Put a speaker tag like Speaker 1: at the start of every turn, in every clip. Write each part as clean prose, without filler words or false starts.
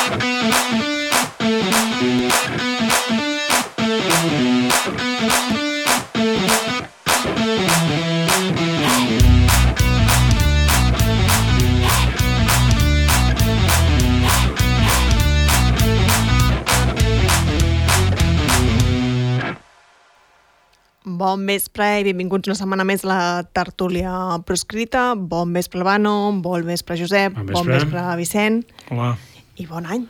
Speaker 1: Bon vespre i benvinguts una setmana més a la tertúlia proscrita. Bon vespre, Albano, bon vespre, Josep, bon vespre, Vicent.
Speaker 2: Hola.
Speaker 1: I bon any.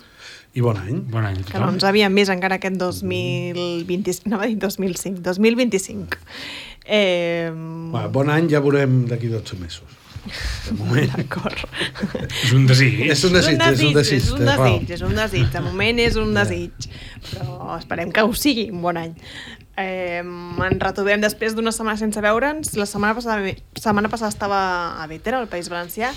Speaker 3: I bon any.
Speaker 2: Bon any a tothom.
Speaker 1: Que no ens havíem vist encara aquest 2025, no va dir 2005, 2025.
Speaker 3: Bon any ja veurem d'aquí 12 mesos. De moment.
Speaker 1: D'acord.
Speaker 2: És un desig.
Speaker 3: És un desig.
Speaker 1: De moment és un desig. Però esperem que ho sigui un bon any. Ens retrobem després d'una setmana sense veure'ns. La setmana passada estava a Bétera, al País Valencià,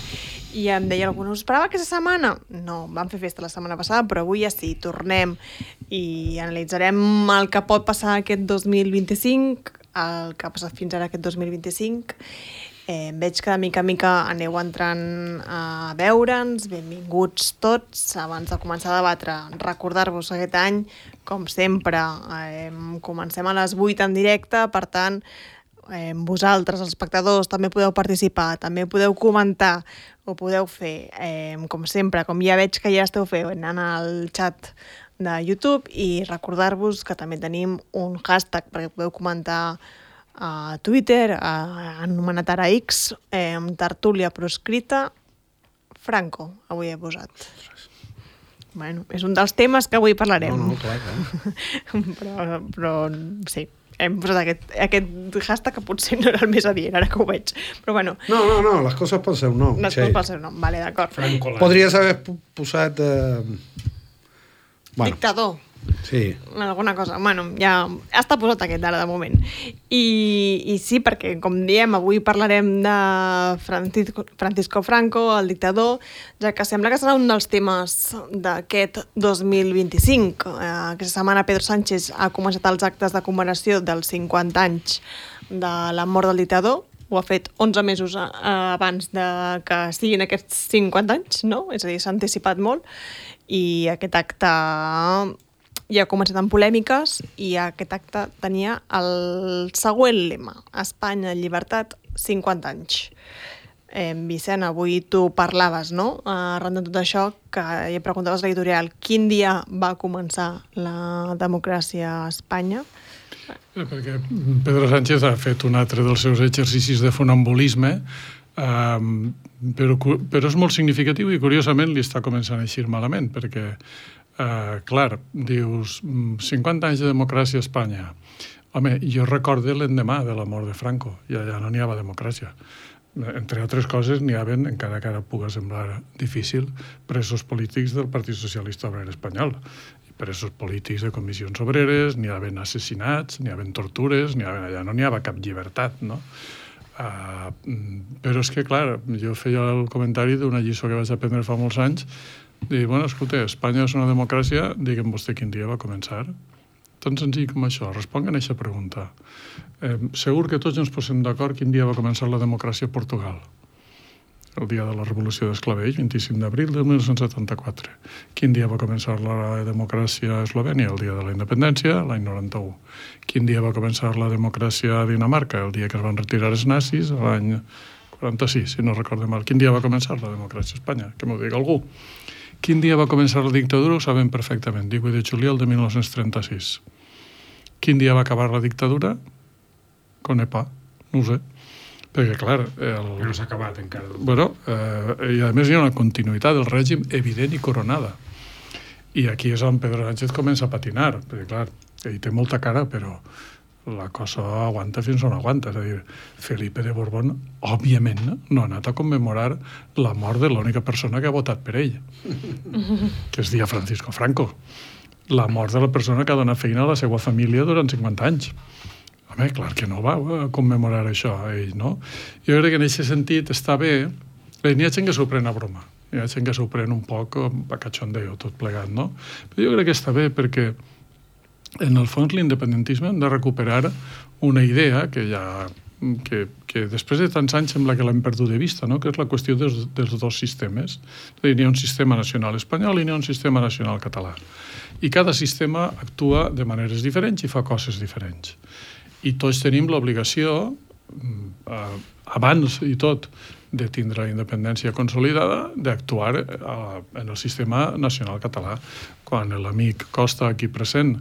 Speaker 1: i em deia algú, no us esperava aquesta setmana? No, vam fer festa la setmana passada, però avui ja sí, tornem i analitzarem el que pot passar aquest 2025, el que ha passat fins ara aquest 2025. Veig que de mica en mica aneu entrant a veure'ns. Benvinguts tots. Abans de començar a debatre, recordar-vos aquest any, com sempre, comencem a les 8 en directe, per tant, vosaltres, els espectadors, també podeu participar, també podeu comentar, ho podeu fer, com sempre, com ja veig que ja esteu fent, anant al xat de YouTube, i recordar-vos que també tenim un hashtag perquè podeu comentar a Twitter, anomenat ara X, tertúlia proscrita, Franco, avui he posat. Bueno, és un dels temes que avui parlarem.
Speaker 3: No, clar.
Speaker 1: però sí, hem posat aquest hashtag que potser no era el més adient, ara que ho veig. Però bueno.
Speaker 3: No, les coses pel seu nom.
Speaker 1: Les coses pel seu nom, vale, d'acord.
Speaker 3: Podries haver posat...
Speaker 1: Dictador.
Speaker 3: Sí.
Speaker 1: Alguna cosa. Bueno, ja està posat aquest ara de moment. I sí, perquè, com diem, avui parlarem de Francisco Franco, el dictador, ja que sembla que serà un dels temes d'aquest 2025. Aquesta setmana Pedro Sánchez ha començat els actes de commemoració dels 50 anys de la mort del dictador. Ho ha fet 11 mesos abans de que siguin aquests 50 anys, no? És a dir, s'ha anticipat molt. I aquest acte ja ha començat amb polèmiques, i aquest acte tenia el següent lema: Espanya, llibertat, 50 anys. Vicent, avui tu parlaves, no?, arran de tot això, que ja preguntaves a l'editorial, quin dia va començar la democràcia a Espanya?
Speaker 2: Perquè Pedro Sánchez ha fet un altre dels seus exercicis de funambulisme, però és molt significatiu i curiosament li està començant a eixir malament, perquè clar, dius 50 anys de democràcia a Espanya. Home, jo recordo l'endemà de la mort de Franco, i allà no n'hi havia democràcia. Entre altres coses, n'hi havia, encara que ara pugui semblar difícil, presos polítics del Partit Socialista Obrer Espanyol, presos polítics de comissions obreres, n'hi havia assassinats, n'hi havia tortures, allà no n'hi havia cap llibertat, no? Però és que, clar, jo feia el comentari d'una lliçó que vaig aprendre fa molts anys, dir, bueno, escolta, Espanya és una democràcia, digue'm vostè quin dia va començar. Tan senzill com això, responguin a aquesta pregunta. Segur que tots ens posem d'acord quin dia va començar la democràcia a Portugal. El dia de la Revolució d'Esclavell, 25 d'abril de 1974. Quin dia va començar la democràcia a Eslovènia? El dia de la independència, l'any 91. Quin dia va començar la democràcia a Dinamarca? El dia que es van retirar els nazis, l'any 46, si no recordo mal. Quin dia va començar la democràcia a Espanya? Que m'ho digui algú. Quin dia va començar la dictadura? Ho sabem perfectament. 18 de juliol de 1936. Quin dia va acabar la dictadura? Conepa. No ho sé. Perquè, clar...
Speaker 4: No s'ha acabat encara.
Speaker 2: Bueno, i a més hi ha una continuïtat del règim evident i coronada. I aquí és on Pedro Sánchez comença a patinar. Perquè, clar, ell té molta cara, però la cosa aguanta fins on aguanta. És a dir, Felipe de Borbón, òbviament, no ha anat a commemorar la mort de l'única persona que ha votat per ell, que es deia Francisco Franco. La mort de la persona que ha donat feina a la seva família durant 50 anys. Home, clar que no va commemorar això, ell, no? Jo crec que en aquest sentit està bé. N'hi ha gent que s'ho pren a broma. Hi ha gent que s'ho pren un poc a cachondeo, tot plegat, no? Però jo crec que està bé perquè en el fons l'independentisme hem de recuperar una idea que ja que després de tants anys sembla que l'hem perdut de vista, no? Que és la qüestió dels dos sistemes. N'hi ha un sistema nacional espanyol i n'hi ha un sistema nacional català. I cada sistema actua de maneres diferents i fa coses diferents. I tots tenim l'obligació, abans i tot, de tindre la independència consolidada, d'actuar en el sistema nacional català. Quan l'amic Costa, aquí present,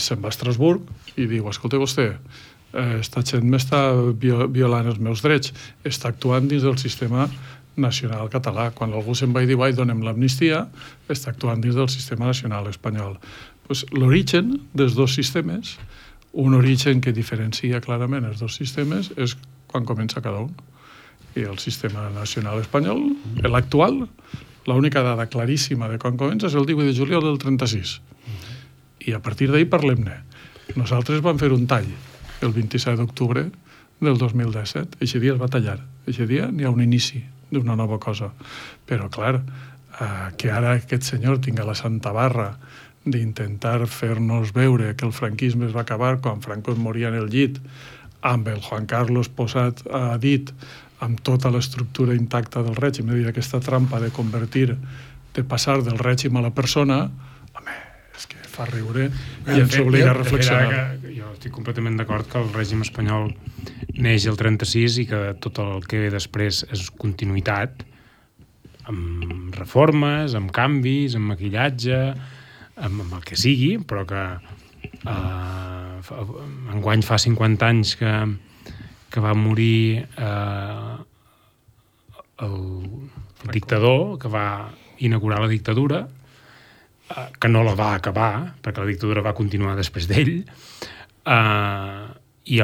Speaker 2: se'n va a Estrasburg i diu, escolta vostè, esta gent m'està violant els meus drets, està actuant dins del sistema nacional català. Quan algú se'n va i diu, donem l'amnistia, està actuant dins del sistema nacional espanyol. Pues, l'origen dels dos sistemes, un origen que diferencia clarament els dos sistemes, és quan comença cada un. I el sistema nacional espanyol, l'actual, l'única dada claríssima de quan comença és el 18 de juliol del 36. I a partir d'ahir parlem-ne. Nosaltres vam fer un tall el 27 d'octubre del 2017. Eixe dia es va tallar. Eixe dia n'hi ha un inici d'una nova cosa. Però, clar, que ara aquest senyor tinga la santa barra d'intentar fer-nos veure que el franquisme es va acabar quan Franco moria en el llit, amb el Juan Carlos posat a dit, amb tota l'estructura intacta del règim, és a dir, aquesta trampa de passar del règim a la persona, home, és que fa riure i ens obliga a reflexionar.
Speaker 4: Jo estic completament d'acord que el règim espanyol neix el 36 i que tot el que ve després és continuïtat, amb reformes, amb canvis, amb maquillatge, amb el que sigui, però que enguany fa 50 anys que va morir el dictador, que va inaugurar la dictadura, que no la va acabar, perquè la dictadura va continuar després d'ell, i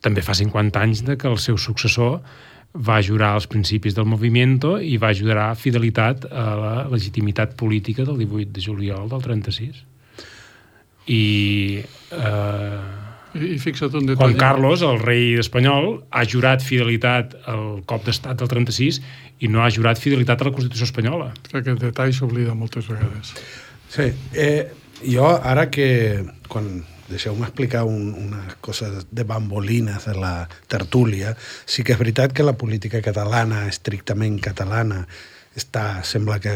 Speaker 4: també fa 50 anys que el seu successor va jurar als principis del movimiento i va jurar fidelitat a la legitimitat política del 18 de juliol del 36. I
Speaker 2: fixa't un detall.
Speaker 4: Juan Carlos, el rei espanyol, ha jurat fidelitat al cop d'estat del 36 i no ha jurat fidelitat a la Constitució espanyola.
Speaker 2: Aquest detall s'oblida moltes vegades.
Speaker 3: Sí, jo ara que, deixeu-me explicar unes coses de bambolines de la tertúlia, sí que és veritat que la política catalana, estrictament catalana, sembla que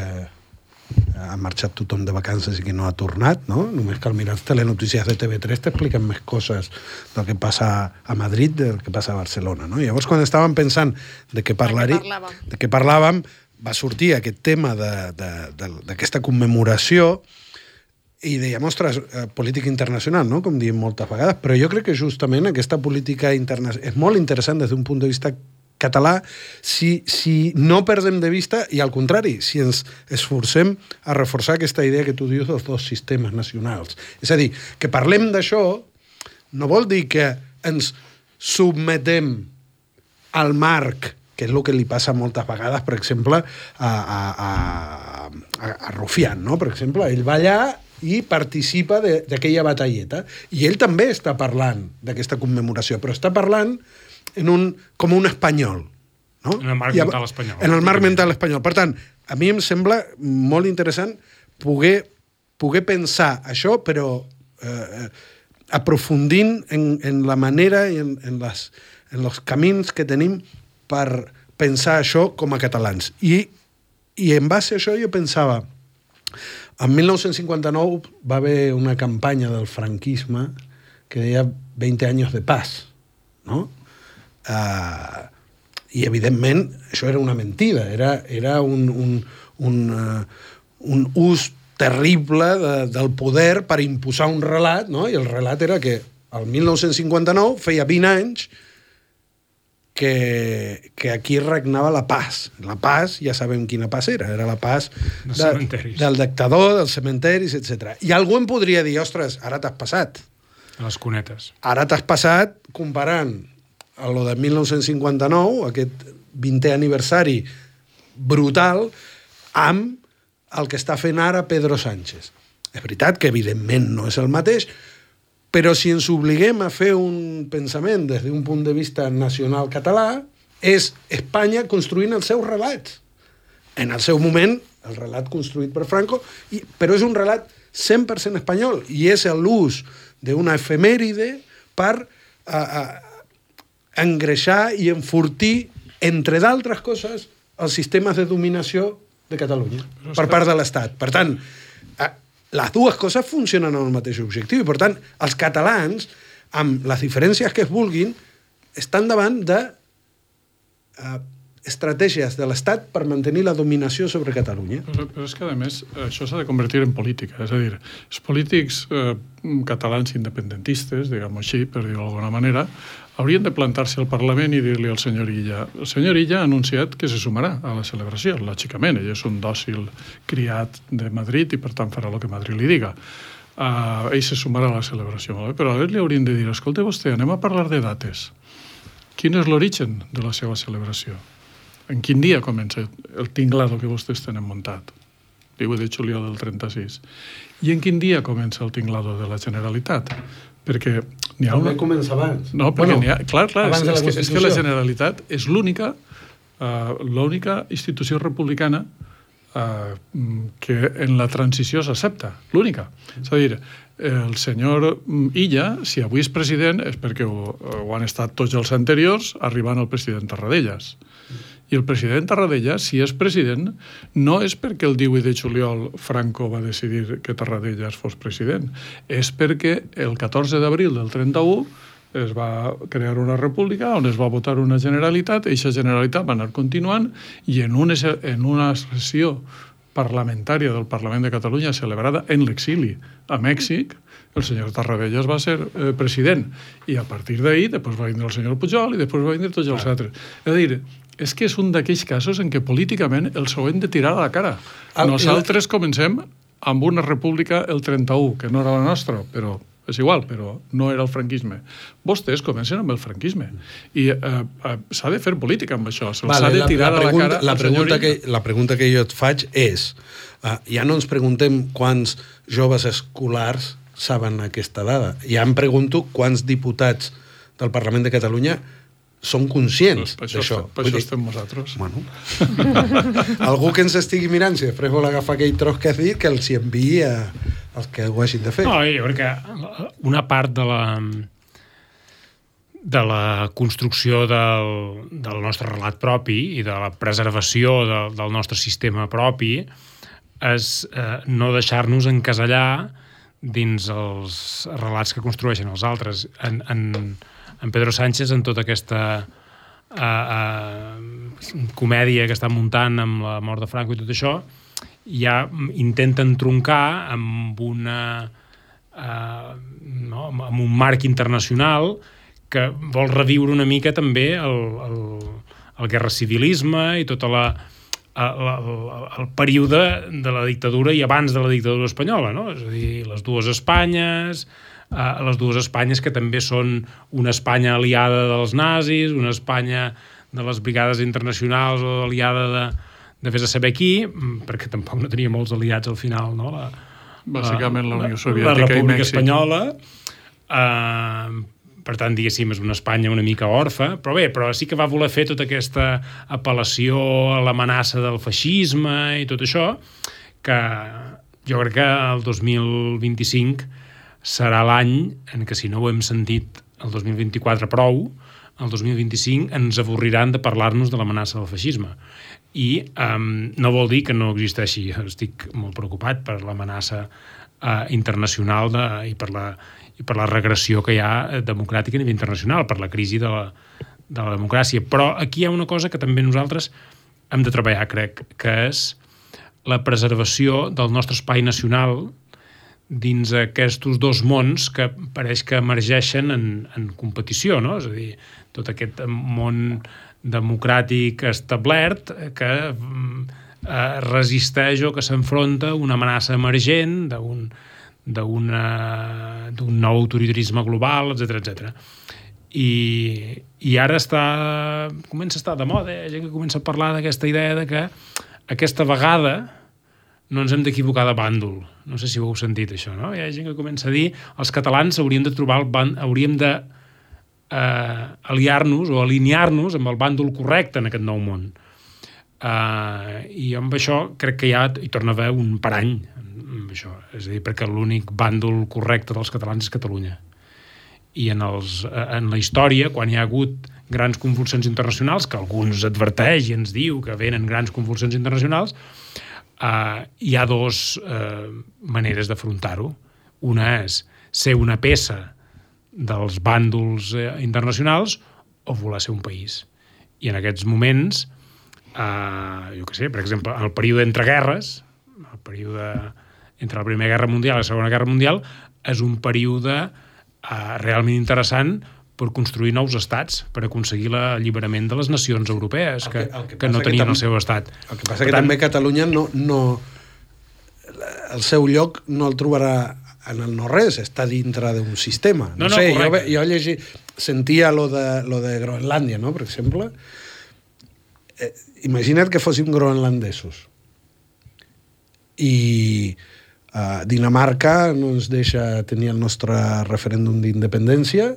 Speaker 3: ha marxat tothom de vacances i que no ha tornat, no? Només cal mirar les telenotícies de TV3 t'expliquen més coses del que passa a Madrid del que passa a Barcelona, no? Llavors, quan estàvem pensant de què parlàvem, va sortir aquest tema d'aquesta commemoració i dèiem, ostres, política internacional, no? Com diem moltes vegades, però jo crec que justament aquesta política internacional és molt interessant des d'un punt de vista català si no perdem de vista i al contrari, si ens esforcem a reforçar aquesta idea que tu dius dels dos sistemes nacionals. És a dir, que parlem d'això no vol dir que ens submetem al marc, que és el que li passa moltes vegades, per exemple, a Rufián, no? Per exemple, ell va allà i participa d'aquella batalleta. I ell també està parlant d'aquesta commemoració, però està parlant com un espanyol. No?
Speaker 4: En el marc mental espanyol.
Speaker 3: En el marc mental espanyol. Per tant, a mi em sembla molt interessant poder pensar això, però aprofundint en la manera i en els camins que tenim per pensar això com a catalans. I en base a això jo pensava, en 1959 va haver una campanya del franquisme que deia 20 anys de paz, no? I evidentment això era una mentida, era un ús terrible del poder per imposar un relat, no? I el relat era que el 1959 feia 20 anys que aquí regnava la paz. La paz, ja sabem quina paz era la paz del dictador, dels cementeris, etc. I algú em podria dir, ostres, ara t'has passat.
Speaker 4: A les cunetes.
Speaker 3: Ara t'has passat comparant a lo de 1959, aquest 20è aniversari brutal, amb el que està fent ara Pedro Sánchez. És veritat que, evidentment, no és el mateix, però si ens obliguem a fer un pensament des d'un punt de vista nacional català, és Espanya construint els seus relats. En el seu moment, el relat construït per Franco, però és un relat 100% espanyol, i és l'ús d'una efemèride per engreixar i enfortir, entre d'altres coses, els sistemes de dominació de Catalunya per part de l'Estat. Per tant, les dues coses funcionen amb el mateix objectiu i, per tant, els catalans, amb les diferències que es vulguin, estan davant de estratègies de l'Estat per mantenir la dominació sobre Catalunya.
Speaker 2: Però és que, a més, això s'ha de convertir en política. És a dir, els polítics catalans independentistes, diguem-ho així, per dir-ho d'alguna manera, haurien de plantar-se al Parlament i dir-li al senyor Illa. El senyor Illa ha anunciat que se sumarà a la celebració, lògicament. Ell és un dòcil criat de Madrid i, per tant, farà el que Madrid li diga. Ell se sumarà a la celebració. Però a li haurien de dir, escolta vostè, anem a parlar de dates. Quin és l'origen de la seva celebració? En quin dia comença el tinglado que vostès tenen muntat? 18 de juliol del 36. I en quin dia comença el tinglado de la Generalitat? Perquè n'hi ha una...
Speaker 3: També comença abans.
Speaker 2: No, perquè n'hi ha... Clar, és que la Generalitat és l'única institució republicana que en la transició s'accepta. L'única. És a dir, el senyor Illa, si avui és president, és perquè ho han estat tots els anteriors, arribant al president Tarradellas. I el president Tarradellas, si és president, no és perquè el 18 de juliol Franco va decidir que Tarradellas fos president, és perquè el 14 d'abril del 31 es va crear una república on es va votar una Generalitat, i aquesta Generalitat va anar continuant, i en una sessió parlamentària del Parlament de Catalunya celebrada en l'exili a Mèxic, el senyor Tarradellas va ser president, i a partir d'ahir després va vindre el senyor Pujol i després va vindre tots els altres. És a dir, és que és un d'aquells casos en què políticament els ho hem de tirar a la cara. Nosaltres comencem amb una república el 31, que no era la nostra, però és igual, però no era el franquisme. Vostès comencen amb el franquisme. I s'ha de fer política amb això. S'ha de tirar a la cara...
Speaker 3: La pregunta que jo et faig és, ja no ens preguntem quants joves escolars saben aquesta dada. Ja em pregunto quants diputats del Parlament de Catalunya són conscients d'això.
Speaker 2: Per això estem nosaltres.
Speaker 3: Bueno. Algú que ens estigui mirant, si després vol agafar aquell tros que has dit, que els hi enviï els que ho hagin de fer.
Speaker 4: No, jo crec que una part de la construcció del nostre relat propi i de la preservació del nostre sistema propi és no deixar-nos encasellar dins els relats que construeixen els altres. En Pedro Sánchez, en tota aquesta comèdia que està muntant amb la mort de Franco i tot això, ja intenten troncar amb amb un marc internacional que vol reviure una mica també el guerracivilisme i tot el període de la dictadura i abans de la dictadura espanyola, no? És a dir, les dues Espanyes que també són una Espanya aliada dels nazis, una Espanya de les brigades internacionals o aliada de vés a saber qui, perquè tampoc no tenia molts aliats al final, no?
Speaker 2: Bàsicament la Unió Soviètica
Speaker 4: i Mèxic. La República Espanyola. Per tant, diguéssim, és una Espanya una mica orfa, però sí que va voler fer tota aquesta apel·lació a l'amenaça del feixisme i tot això, que jo crec que el 2025 serà l'any en què, si no ho hem sentit el 2024 prou, el 2025 ens avorriran de parlar-nos de l'amenaça del feixisme. I no vol dir que no existeixi. Estic molt preocupat per l'amenaça internacional i per la regressió que hi ha democràtica a nivell internacional, per la crisi de la democràcia. Però aquí hi ha una cosa que també nosaltres hem de treballar, crec, que és la preservació del nostre espai nacional dins aquests dos mons que pareix que emergeixen en competició, no? És a dir, tot aquest món democràtic establert que resisteix o que s'enfronta a una amenaça emergent d'un nou autoritarisme global, etc. I ara comença a estar de moda, hi ha gent que comença a parlar d'aquesta idea de que aquesta vegada no ens hem d'equivocar de bàndol. No sé si ho heu sentit, això, no? Hi ha gent que comença a dir els catalans hauríem de aliar-nos o alinear-nos amb el bàndol correcte en aquest nou món. I amb això crec que hi torna a haver un parany amb això. És a dir, perquè l'únic bàndol correcte dels catalans és Catalunya. I en la història, quan hi ha hagut grans convulsions internacionals, que alguns adverteix i ens diu que venen grans convulsions internacionals, hi ha dues maneres d'afrontar-ho. Una és ser una peça dels bàndols internacionals o voler ser un país. I en aquests moments, jo què sé, per exemple, el període entre guerres, el període entre la Primera Guerra Mundial i la Segona Guerra Mundial, és un període realment interessant per construir nous estats, per aconseguir l'alliberament de les nacions europees que no tenien el seu estat.
Speaker 3: El que passa que també Catalunya el seu lloc no el trobarà en el no-res, està dintre d'un sistema. No sé, jo sentia lo de Groenlàndia, no?, per exemple. Imagina't que fóssim groenlandesos. I Dinamarca no ens deixa tenir el nostre referèndum d'independència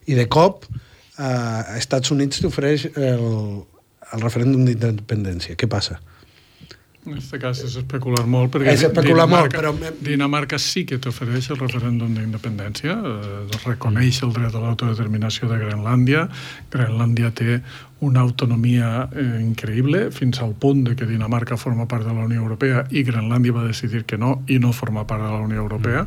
Speaker 3: i de cop Estats Units t'ofereix el referèndum d'independència. Què passa?
Speaker 2: En aquest cas és especular molt, perquè Dinamarca sí que t'ofereix el referèndum d'independència, reconeix el dret a l'autodeterminació de Groenlàndia. Groenlàndia té una autonomia increïble, fins al punt de que Dinamarca forma part de la Unió Europea i Groenlàndia va decidir que no, i no forma part de la Unió Europea.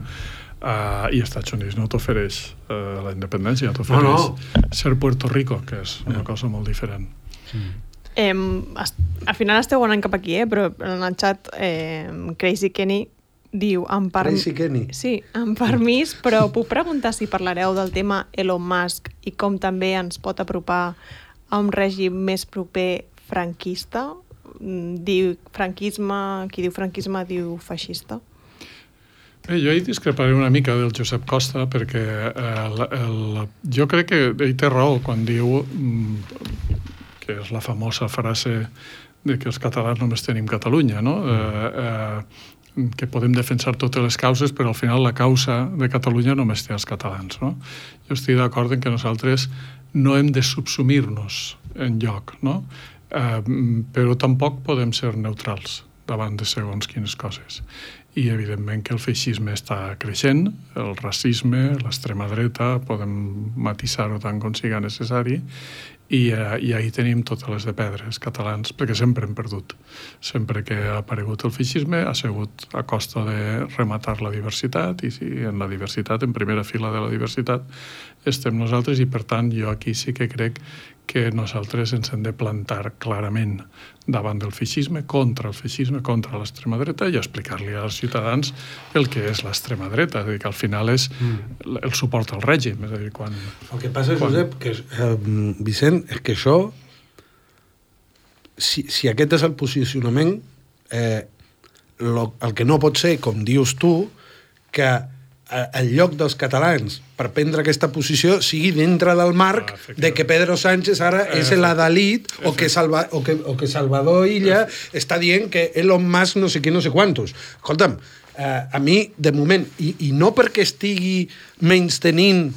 Speaker 2: I Estats Units no t'ofereix la independència, t'ofereix ser Puerto Rico, que és una cosa molt diferent.
Speaker 1: Al final esteu anant cap aquí, però en el xat Crazy Kenny diu
Speaker 3: Crazy Kenny?
Speaker 1: Sí, amb permís, però puc preguntar si parlareu del tema Elon Musk i com també ens pot apropar a un règim més proper franquista? Diu franquisme, qui diu franquisme diu feixista.
Speaker 2: Jo hi discreparé una mica del Josep Costa, perquè jo crec que ell té raó quan diu que és la famosa frase de que els catalans només tenim Catalunya, no? Que podem defensar totes les causes, però al final la causa de Catalunya només té els catalans, no? Jo estic d'acord en que nosaltres no hem de subsumir-nos enlloc, no? Però tampoc podem ser neutrals davant de segons quines coses. I evidentment que el feixisme està creixent, el racisme, l'extrema dreta, podem matisar-ho tant com siga necessari, i ahí tenim totes les de perdre, els catalans, perquè sempre hem perdut. Sempre que ha aparegut el feixisme ha sigut a costa de rematar la diversitat, i en la diversitat, en primera fila de la diversitat, estem nosaltres, i per tant jo aquí sí que crec que nosaltres ens hem de plantar clarament davant del feixisme, contra l'extrema dreta, i explicar-li als ciutadans el que és l'extrema dreta, és a dir, que al final és el suport al règim. És a dir, quan...
Speaker 3: El que passa, Josep, Vicent, és que això, si aquest és el posicionament, el que no pot ser, com dius tu, que el lloc dels catalans per prendre aquesta posició sigui dintre del marc de que Pedro Sánchez ara és l'adalit o que Salvador Illa està dient que Elon Musk no sé què, no sé quantos. Escolta'm, a mi, de moment, i no perquè estigui menystenint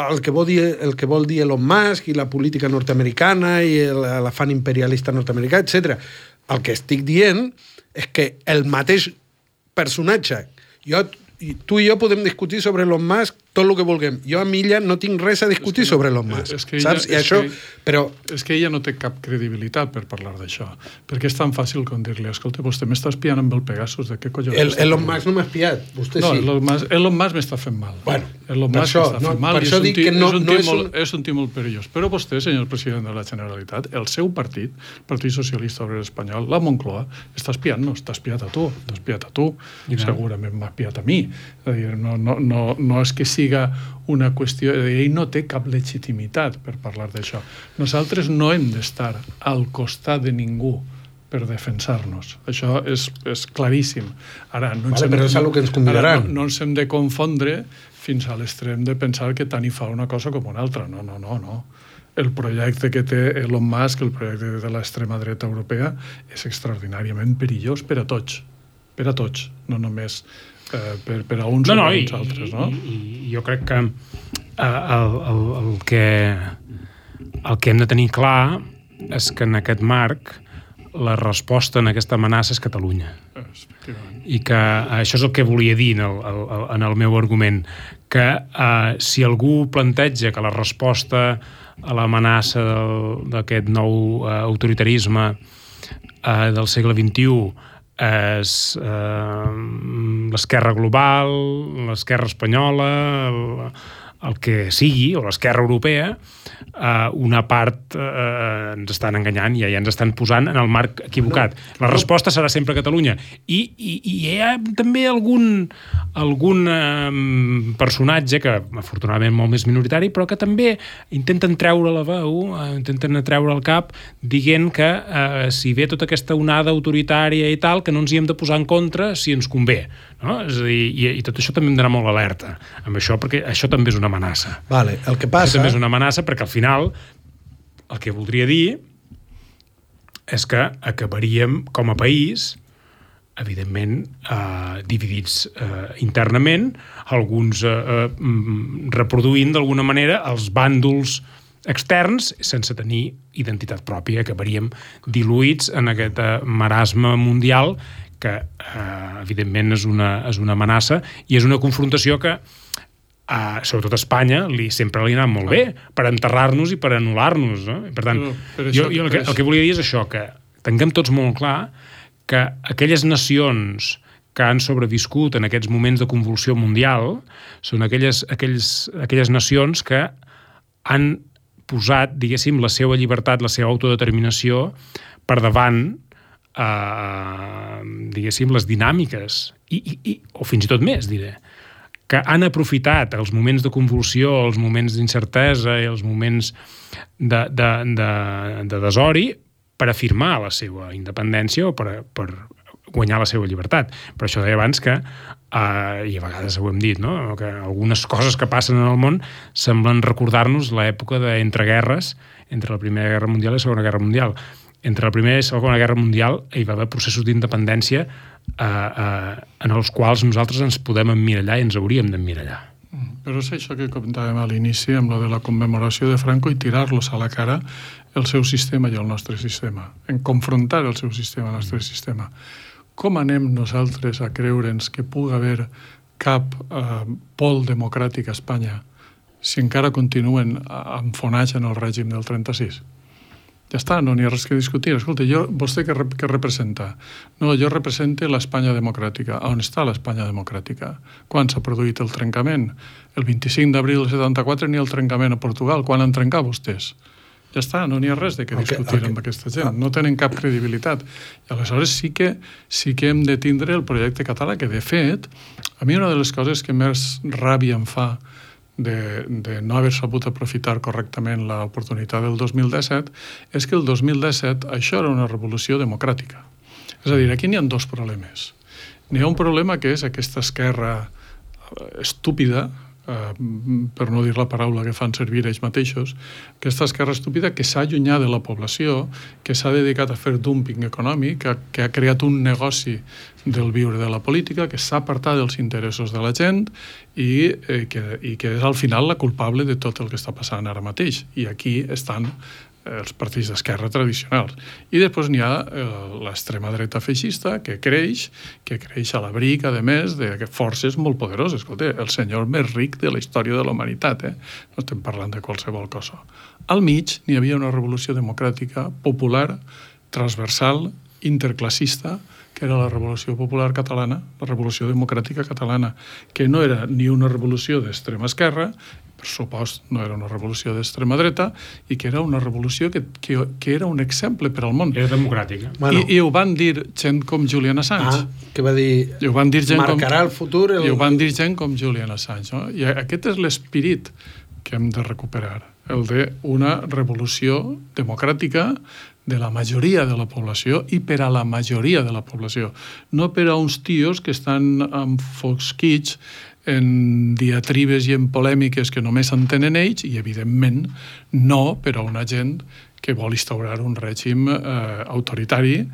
Speaker 3: el que vol dir Elon Musk i la política nord-americana i l'afany imperialista nord-americà, etc. El que estic dient és que el mateix personatge, tu i jo podem discutir sobre Elon Musk tot el que vulguem. Jo amb ella no tinc res a discutir sobre Elon Musk. Saps?
Speaker 2: És que ella no té cap credibilitat per parlar d'això. Perquè és tan fàcil com dir-li, escolta, vostè m'està espiant amb el Pegasus, de què collons?
Speaker 3: Elon Musk no m'ha espiat, vostè sí.
Speaker 2: Elon Musk m'està fent mal.
Speaker 3: Bueno,
Speaker 2: Elon Musk m'està fent mal,
Speaker 3: per això dic que no
Speaker 2: és un tio molt perillós. Però vostè, senyor president de la Generalitat, el seu partit, el Partit Socialista Obrer Espanyol, la Moncloa, està espiant-nos, t'ha espiat a tu, segurament m'ha espiat a mi. És a dir, no és que siga una qüestió, ell no té cap legitimitat per parlar d'això. Nosaltres no hem d'estar al costat de ningú per defensar-nos. Això és claríssim. Ara, no ens hem de confondre fins a l'extrem de pensar que tant hi fa una cosa com una altra. No. El projecte que té Elon Musk, el projecte de l'extrema dreta europea, és extraordinàriament perillós per a tots. Per a tots, no només per a uns o per a uns altres, no?
Speaker 4: I jo crec que el que hem de tenir clar és que en aquest marc la resposta en aquesta amenaça és Catalunya. I que això és el que volia dir en el meu argument, que si algú planteja que la resposta l'amenaça d'aquest nou autoritarisme del segle XXI és l'esquerra global, l'esquerra espanyola, el que sigui, o l'esquerra europea, una part ens estan enganyant i ja ens estan posant en el marc equivocat. La resposta serà sempre Catalunya. I hi ha també algun personatge que, afortunadament, molt més minoritari, però que també intenten treure la veu, intenten treure el cap, dient que si ve tota aquesta onada autoritària i tal, que no ens hi hem de posar en contra si ens convé. No? És a dir, i tot això també hem d'anar molt alerta amb això, perquè això també és una amenaça.
Speaker 3: Vale, el que passa...
Speaker 4: Això també és una amenaça perquè al final el que voldria dir és que acabaríem com a país, evidentment, dividits internament, alguns reproduint d'alguna manera els bàndols externs sense tenir identitat pròpia. Acabaríem diluïts en aquest marasme mundial que, evidentment, és una amenaça i és una confrontació que sobretot a Espanya sempre li ha anat molt bé per enterrar-nos i per anul·lar-nos, no? Per tant, jo el que volia dir és això, que tinguem tots molt clar que aquelles nacions que han sobreviscut en aquests moments de convulsió mundial són aquelles nacions que han posat, diguéssim, la seva llibertat, la seva autodeterminació per davant, diguéssim, les dinàmiques, o fins i tot més, diré, que han aprofitat els moments de convulsió, els moments d'incertesa i els moments de desori per afirmar la seva independència o per guanyar la seva llibertat. Per això deia abans que, i a vegades ho hem dit, no? Que algunes coses que passen en el món semblen recordar-nos l'època d'entreguerres entre la Primera Guerra Mundial i la Segona Guerra Mundial. Entre la Primera i la Segona Guerra Mundial hi va haver processos d'independència en els quals nosaltres ens podem emmirallar i ens hauríem d'emmirallar.
Speaker 2: Però és això que comentàvem a l'inici amb la de la commemoració de Franco i tirar-los a la cara el seu sistema i el nostre sistema, en confrontar el seu sistema i el nostre sistema. Com anem nosaltres a creure'ns que pugui haver cap pol democràtic a Espanya si encara continuen enfonats en el règim del 36? Ja està, no n'hi ha res que discutir. Escolta, vostè què representa? No, jo represento l'Espanya democràtica. On està l'Espanya democràtica? Quan s'ha produït el trencament? El 25 d'abril del 74 ni el trencament a Portugal. Quan han trencat vostès? Ja està, no n'hi ha res de què discutir amb aquesta gent. No tenen cap credibilitat. I aleshores sí que hem de tindre el projecte català, que de fet, a mi una de les coses que més ràbia em fa de no haver sabut aprofitar correctament l'oportunitat del 2017 és que el 2017 això era una revolució democràtica. És a dir, aquí n'hi ha dos problemes. N'hi ha un problema que és aquesta esquerra estúpida, per no dir la paraula que fan servir ells mateixos, aquesta esquerra estúpida que s'ha allunyat de la població, que s'ha dedicat a fer dumping econòmic, que ha creat un negoci del viure de la política, que s'ha apartat dels interessos de la gent i que és al final la culpable de tot el que està passant ara mateix. I aquí estan els partits d'esquerra tradicionals. I després n'hi ha l'extrema dreta feixista que creix a l'abric, a més, de forces molt poderoses. Escolta, el senyor més ric de la història de la humanitat, no estem parlant de qualsevol cosa. Al mig n'hi havia una revolució democràtica popular, transversal, interclassista, que era la Revolució Popular Catalana, la Revolució Democràtica Catalana, que no era ni una revolució d'extrema esquerra, per supost no era una revolució d'extrema dreta, i que era una revolució que era un exemple per al món.
Speaker 4: Era democràtica.
Speaker 2: Bueno. I ho van dir gent com Julian Assange.
Speaker 3: Que va dir,
Speaker 2: I ho van dir gent
Speaker 3: marcarà el futur...
Speaker 2: I ho van dir gent com Julian Assange. No? I aquest és l'esperit que hem de recuperar, el d'una revolució democràtica de la majoria de la població i per a la majoria de la població. No per a uns tios que estan enfosquits en diatribes i en polèmiques que només entenen ells i, evidentment, no per a una gent que vol instaurar un règim autoritari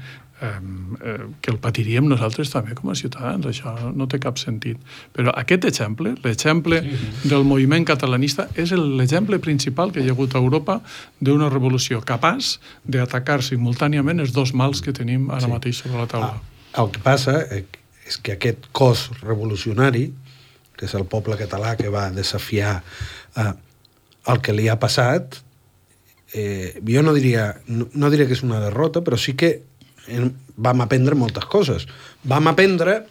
Speaker 2: que el patiríem nosaltres també com a ciutadans. Això no té cap sentit. Però aquest exemple, l'exemple del moviment catalanista, és l'exemple principal que hi ha hagut a Europa d'una revolució capaç d'atacar simultàniament els dos mals que tenim ara mateix sobre la taula.
Speaker 3: El que passa és que aquest cos revolucionari, que és el poble català que va desafiar el que li ha passat, jo no diria que és una derrota, però sí que vam aprendre moltes coses. Vam aprendre,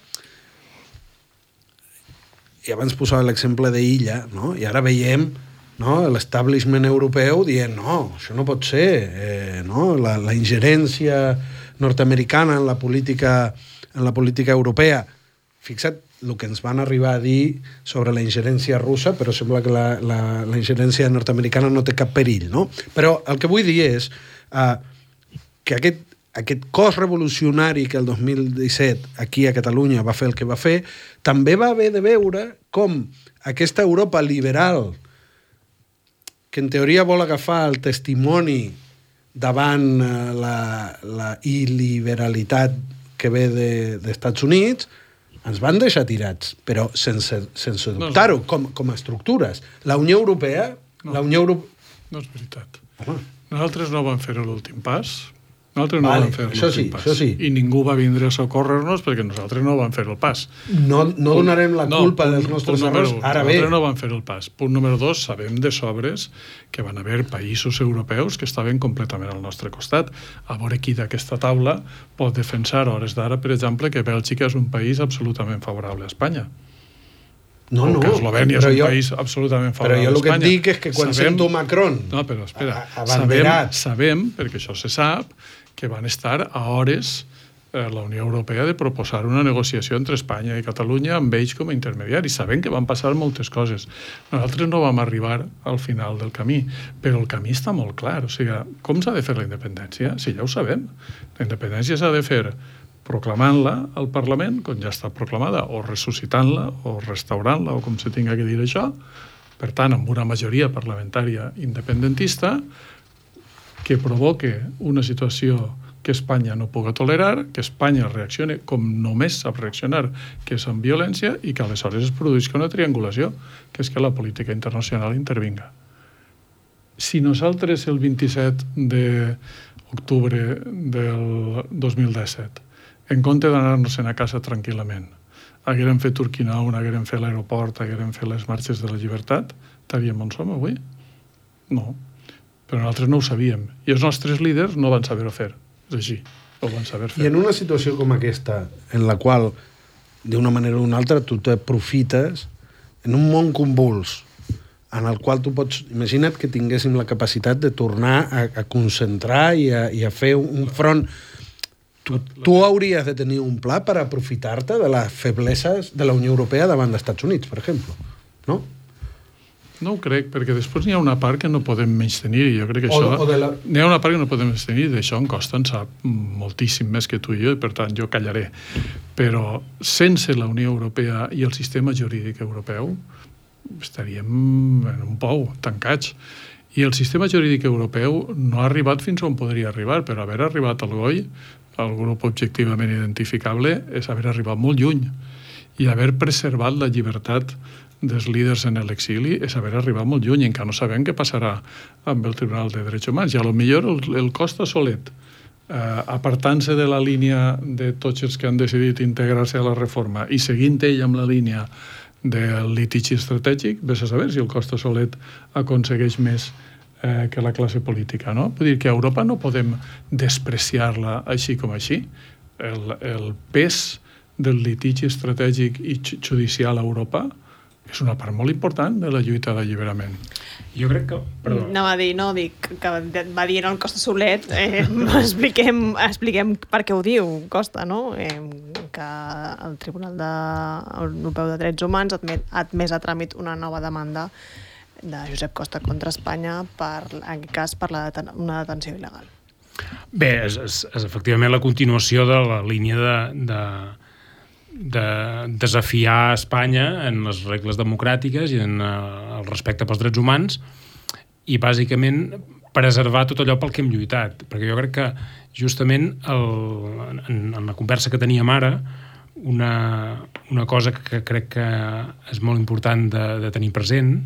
Speaker 3: i abans posava l'exemple d'Illa, no? I ara veiem, no, l'establishment europeu dient no, això no pot ser, no? La ingerència nord-americana en la política europea. Fixa't el que ens van arribar a dir sobre la ingerència russa, però sembla que la ingerència nord-americana no té cap perill, no? Però el que vull dir és que aquest cos revolucionari que el 2017 aquí a Catalunya va fer el que va fer, també va haver de veure com aquesta Europa liberal, que en teoria vol agafar el testimoni davant la il·liberalitat que ve d'Estats Units, ens van deixar tirats, però sense dubtar-ho, com a estructures. La Unió Europea...
Speaker 2: No és veritat. Nosaltres no vam fer l'últim pas. Vam fer l'últim pas.
Speaker 3: Això sí.
Speaker 2: I ningú va vindre a socórrer-nos perquè nosaltres no vam fer el pas.
Speaker 3: No donarem la culpa dels nostres errors. Ara bé.
Speaker 2: Nosaltres no vam fer el pas. Punt número 2, sabem de sobres que van haver països europeus que estaven completament al nostre costat. A veure qui d'aquesta taula pot defensar a hores d'ara, per exemple, que Bèlgica és un país absolutament favorable a Espanya.
Speaker 3: No,
Speaker 2: que Eslovènia és un país absolutament favorable a Espanya.
Speaker 3: Però jo el que et dic és que quan sento Macron
Speaker 2: abanderat... Sabem, perquè això se sap, que van estar a hores la Unió Europea de proposar una negociació entre Espanya i Catalunya amb ells com a intermediaris. Sabem que van passar moltes coses. Nosaltres no vam arribar al final del camí, però el camí està molt clar. O sigui, com s'ha de fer la independència? Si ja ho sabem. La independència s'ha de fer proclamant-la al Parlament, com ja està proclamada, o ressuscitant-la, o restaurant-la, o com se tinga que dir això. Per tant, amb una majoria parlamentària independentista que provoque una situació que Espanya no pugui tolerar, que Espanya reaccioni com només sap reaccionar, que és amb violència, i que aleshores es produïsca una triangulació, que és que la política internacional intervinga. Si nosaltres el 27 d'octubre del 2017, en compte d'anar-nos-en a casa tranquil·lament, haguérem fet Urquinaona, haguérem fet l'aeroport, haguérem fet les marxes de la llibertat, estaríem on som avui? No. Però nosaltres no ho sabíem. I els nostres líders no van saber-ho fer. És així, ho van saber fer.
Speaker 3: I en una situació com aquesta, en la qual, d'una manera o d'una altra, tu t'aprofites en un món convuls, en el qual tu pots... Imagina't que tinguéssim la capacitat de tornar a concentrar i a fer un front... Tu hauries de tenir un pla per aprofitar-te de les febleses de la Unió Europea davant dels Estats Units, per exemple, no?
Speaker 2: No ho crec, perquè després n'hi ha una part que no podem menystenir, i jo crec que això... N'hi ha una part que no podem menystenir, i d'això en Costa en sap moltíssim més que tu i jo, i per tant jo callaré. Però sense la Unió Europea i el sistema jurídic europeu estaríem en un pou, tancats. I el sistema jurídic europeu no ha arribat fins on podria arribar, però haver arribat al GOI, el grup objectivament identificable, és haver arribat molt lluny. I haver preservat la llibertat dels líders en l'exili és haver arribat molt lluny, encara no sabem què passarà amb el Tribunal de Drets Humans. I a lo millor el Costa solet, apartant-se de la línia de tots els que han decidit integrar-se a la reforma i seguint ell amb la línia del litigi estratègic, vés a saber si el Costa solet aconsegueix més que la classe política, no? Vull dir que a Europa no podem despreciar-la així com així. El pes del litigi estratègic i judicial a Europa és una part molt important de la lluita d'alliberament.
Speaker 4: Jo crec que... Perdó.
Speaker 1: Dic que va dir el Costa Solet, expliquem per què ho diu Costa, no? Que el Tribunal Europeu de Drets Humans ha admès a tràmit una nova demanda de Josep Costa contra Espanya en aquest cas per una detenció il·legal.
Speaker 4: Bé, és efectivament la continuació de la línia de desafiar Espanya en les regles democràtiques i en el respecte pels drets humans i bàsicament preservar tot allò pel que hem lluitat, perquè jo crec que justament en la conversa que teníem ara una cosa que crec que és molt important de tenir present